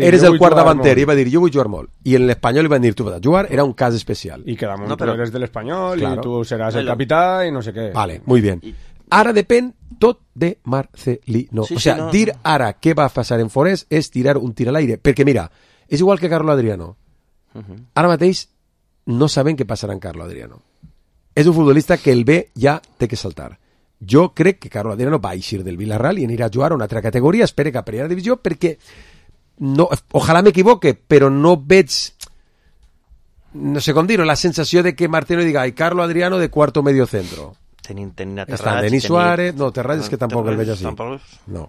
eres el quart davanter. I va dir, jo vull jugar molt. I en l'Espanyol li van dir, tu vas a jugar, era un cas especial. I quedamos, tu eres del Espanyol i tu seràs el capità i no sé què. Vale, muy bien. Ara depèn tot de Marcelino. O sea, dir ara què va passar en Forés és tirar un tir a l'aire. Perquè mira, és igual que Carlo Adriano. Ara mateix no saben què passarà en Carlo Adriano. És un futbolista que el B ja té que saltar. Jo crec que Carlo Adriano va eixir del Villarreal i anirà a jugar a una altra categoria, espere que a primera divisió, perquè no, ojalà m'equivoque, però no veig, no sé com dir-ho, la sensació de que Martino diga, ai, Carlo Adriano de cuarto medio centro. Tenint Terrats, està Denis Suárez, no, Terrats és que tampoc el veig així. No.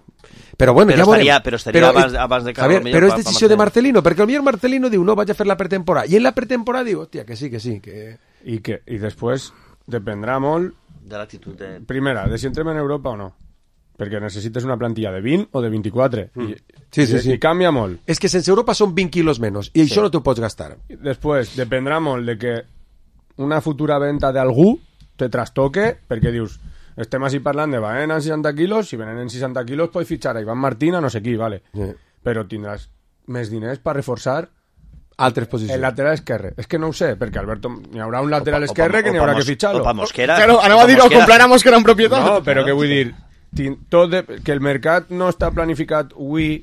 Però bueno, ja veurem. Però estaria abans de Carlo. Però és decisió de Marcelino, perquè el millor Marcelino diu, no, vaig a fer la pretemporada. I en la pretemporada diu, hòstia, que sí. I després dependrà molt de l'actitud de... Primera, de si entrem en Europa o no. Perquè necessites una plantilla de 20 o de 24. Sí. I canvia molt. És que sense Europa són 20 quilos menys, i això no t'ho pots gastar. Després, dependrà molt de que una futura venta d'algú te trastoque, perquè dius, estem així parlant de Baena en 60 quilos, si venen en 60 quilos pots fitxar a Iván Martín a no sé qui, vale. Però tindràs més diners per reforçar altres posicions. El lateral esquerre. És que no ho sé, perquè Alberto, n'hi haurà un lateral esquerre que n'hi haurà que fitxar-lo. O pa Mosquera. Claro, anava a dir, o comprar a Mosquera en propietat. No, però què vull dir? Que el mercat no està planificat avui,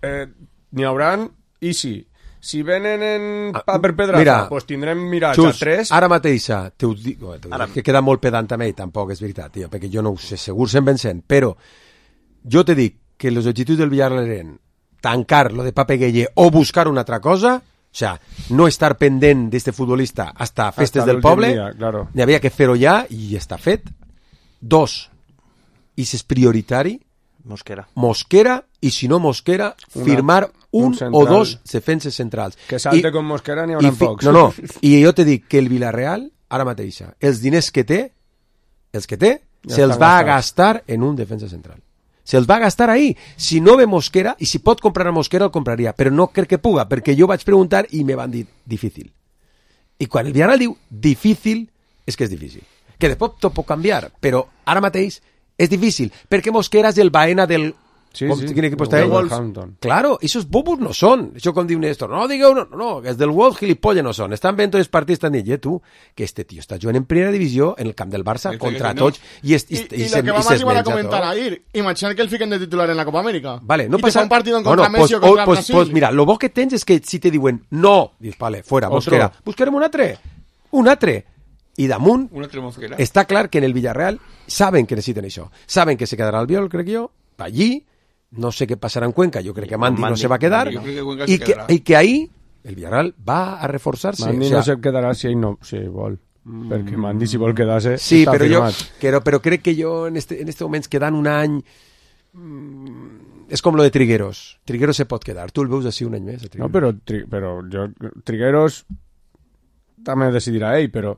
n'hi haurà easy. Si venen en paper pedraza, pues tindrem mirats a 3. Ara mateixa, te ho dic, que queda molt pedant també, i tampoc és veritat, tio, perquè jo no ho sé, segur 100%, però jo te dic que els objectius del Villarreal eren tancar lo de Pape Gueye o buscar una altra cosa, o sea, no estar pendent d'este futbolista hasta festes del poble, claro. N'hi havia que fer-ho ja i està fet. 2, i si és prioritari, Mosquera, i si no Mosquera, firmar un o dos defenses centrals. Que salte con Mosquera n'hi haurà pocs. No, i jo te dic que el Villarreal, ara mateixa, els diners que té, se'ls va a gastar en un defensa central. Se'ls va a gastar ahí. Si no ve Mosquera, i si pot comprar a Mosquera, el compraria, però no crec que puga, perquè jo vaig preguntar i me van dir difícil. I quan el Villarreal diu difícil, és que és difícil. Que després tot pot canviar, però ara mateix és difícil, perquè Mosquera és el Baena del Quin equip està ell? Wolverhampton. Claro, esos bobos no són. Això com diu Néstor, no digueu, no, els del Wolf gilipolles no són. Estan veient tots els partits, estan dient, tu, que este tio està jugant en primera divisió en el camp del Barça contra tots. Y lo que vamos a llevar a comentar ahí, imaginar que el fiquen de titular en la Copa América. Vale, no y pasa... un partido contra Messi o contra Brasil. Pues mira, lo bo que tens és que si te diuen no, dius, vale, fuera, Mosquera, buscarem un altre. I damunt està clar que en el Villarreal saben que necessiten això. Saben que se quedarà Albiol, crec jo, allí. No sé què passarà en Cuenca, jo crec que Mandi no se va quedar i que ahí el Villarreal va a reforçar-se. Mandi no se quedarà si vol, perquè Mandi si vol quedar-se sí, està firmat. Però crec que jo en este moment quedant un any és com lo de Trigueros. Trigueros se pot quedar. Tu el veus així un any més? No, però jo Trigueros també decidirà ell, però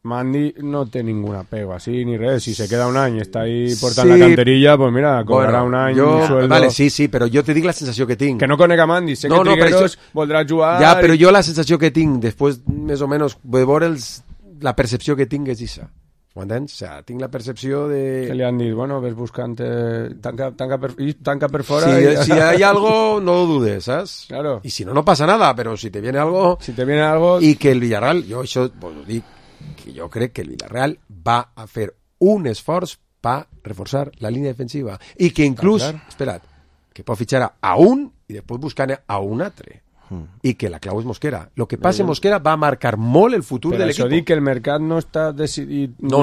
Mandi no té ningún apego así ni res. Si se queda un any i està ahí portant la canterilla, pues mira, cobrarà un any sueldo. Vale, sí, però jo te dic la sensació que tinc. Que no conec a Mandi, sé que Trigueros voldrà jugar... Ja, però jo la sensació que tinc, després més o menys de veure la percepció que tinc és això. Ho entens? O sea, tinc la percepció de... Que li han dit, bueno, ves buscant... Tanca per fora... Si hay algo, no lo dudes, ¿sabes? Claro. Y si no, no pasa nada, pero si te viene algo... Y que el Villarreal, jo això ho dic, que jo crec que el Villarreal va a fer un esforç per reforçar la línia defensiva i que inclús, espera't, que pot fitxar a un i després buscar a un altre i que la clau és Mosquera. Lo que passa en Mosquera va a marcar molt el futur de l'equip. Però això dic que el mercat no està decidit. No.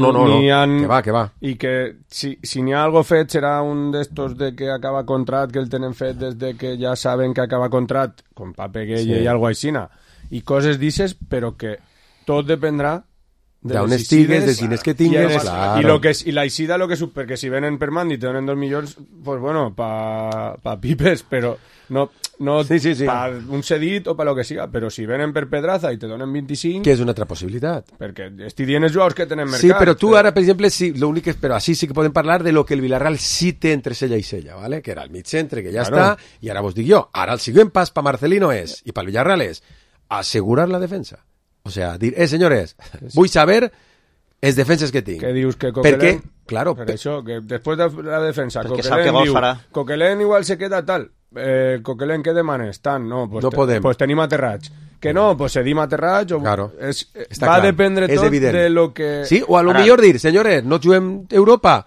Que va. I que si n'hi ha algo fet serà un d'estos de que acaba contrat, que el tenen fet des de que ja saben que acaba contrat, com Pape Gueye i algo aixina, i coses dices, però que tot dependrà d'on estigues, de diners que tingues, claro. I la eixida, perquè si venen per Mandi te donen 2 milions, pues bueno, pa pipes, però no pa un cedit o pa lo que siga, però si venen per Pedraza i te donen 25... Que és una altra possibilitat. Perquè estic dient els jugadors que tenen mercat. Sí, però tu ara, per exemple, però així sí que podem parlar de lo que el Villarreal sí té entre sella i sella, ¿vale? Que era el mig centre, que ja està, i ara vos dic jo, ara el següent pas pa Marcelino és, i pel Villarreal és, assegurar la defensa. O sea, dir, señores, vull saber els defenses que tinc. Què dius que Coquelin... Perquè, claro... Per això, que després de la defensa, Coquelin diu, Coquelin igual se queda tal. Coquelin, què demanes? Tant, no, pues no podem. Pues tenim aterrats. Que no, pues cedim aterrats. Claro. Va a dependre tot de lo que... Sí, o a lo millor dir, señores, no juguem Europa,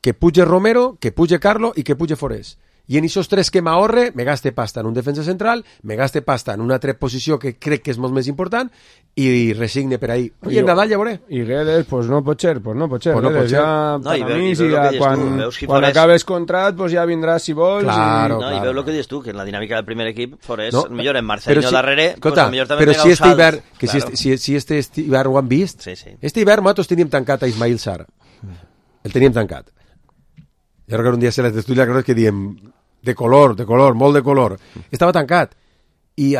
que puge Romero, que puge Carlo i que puge Forés. I en aquests 3 que m'ahorre, me gaste pasta en un defensa central, me gaste pasta en una altra posició que crec que és molt més important i resigne per ahí. I en Nadal ja veuré. I Guedes, pues no pot ser. Guedes, ja, quan Forés... acabes contrat, pues ja vindràs si vols. Claro, I veu el que dius tu, que en la dinàmica del primer equip, Forés, millor en Marcelino darrere, pues millor també però si este hivern, si este hivern ho han vist, este hivern nosaltres teníem tancat a Ismail Sarr. El teníem tancat. Jo recordo un dia a la tertúlia que diem de color, molt de color. Estava tancat. I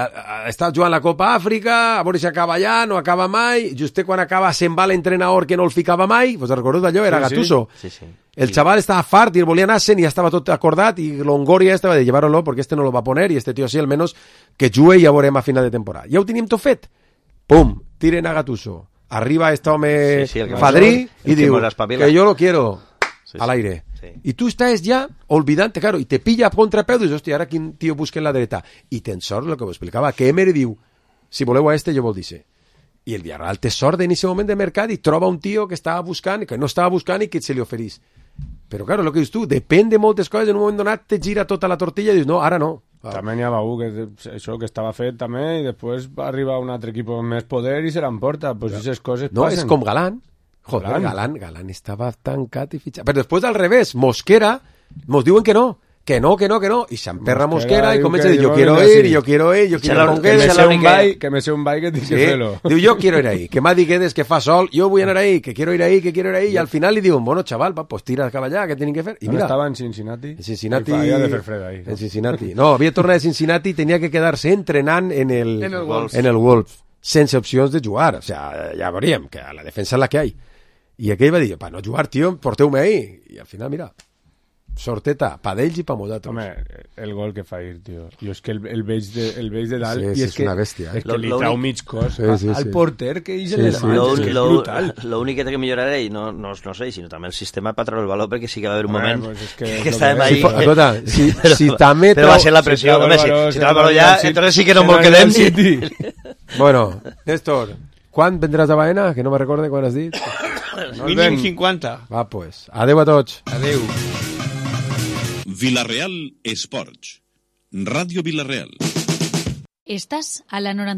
estava jugant la Copa Àfrica, a veure si acaba allà, no acaba mai, just quan acaba se'n va l'entrenador que no el ficava mai, vos recordeu d'allò? Era Gattuso. Sí. El chaval estava fart i el volia anar-se'n i ja estava tot acordat i Longoria estava de llevar-lo perquè este no lo va poner i este tio sí, almenys que jugue i ja veurem a final de temporada. Ja ho teníem tot fet. Pum, tiren a Gattuso. Arriba este home fadrí i diu que yo lo quiero al aire. Sí. I tu estàs ja olvidant-te, claro, i te pilla a contrapeu, dius, hòstia, ara quin tio busca en la dreta. I tens sort, el que ho explicava, que Emery diu, si voleu a este, jo vol dir-se. I el Villarreal té sort en aquest moment de mercat i troba un tio que estava buscant, que no estava buscant i que se li oferís. Però, claro, el que dius tu, depèn de moltes coses, en un moment donat te gira tota la tortilla i dius, no, ara no. També n'hi ha això que estava fet també i després va arribar un altre equip amb més poder i se l'emporta. Pues aquestes coses no, passen. És com Galán. Joder, Galán estava tancat i fitxat. Però després al revés, Mosquera mos diuen que no. I s'emperra Mosquera i comença a dir, yo quiero ir con Guedes. Que me sé un ball que tinc que fer-lo. Diu, yo quiero ir ahí. Que m'ha dit Guedes que fa sol, yo voy a anar ahí, que quiero ir ahí. I al final li diuen, bueno, chaval, pues tira cap allà, què tenen que fer? I mira, estava en Cincinnati. Havia de fer fred ahí. En Cincinnati. No, havia tornat de Cincinnati i tenia que quedar-se entrenant en el Wolves. Sense opcions de jugar. O sea, ja veuríem que a la defensa és la que hi ha. I aquell va dir, para no jugar, tío, porteu-me ahí. I al final, mira, sorteta, pa d'ells i pa nosaltres. Home, el gol que fa ir, tio. Jo és que el veig de dalt Sí, i és és una bèstia. És que li trau mig cos al porter que és brutal. Lo únic que té que millorar ell, no sé, sinó també el sistema per treure el valor, perquè sí que va haver un moment que estàvem ahí... Escolta, si també... Però va ser la pressió, home, si trau el valor ja, entonces sí que no m'ho quedem. Bueno, Néstor, quan vendràs a Baena? Que no me recorde quan has dit. Mínim 50. Va, pues. Adeu a tots. Adeu. Villarreal Esports. Ràdio Villarreal. Estás a la 90.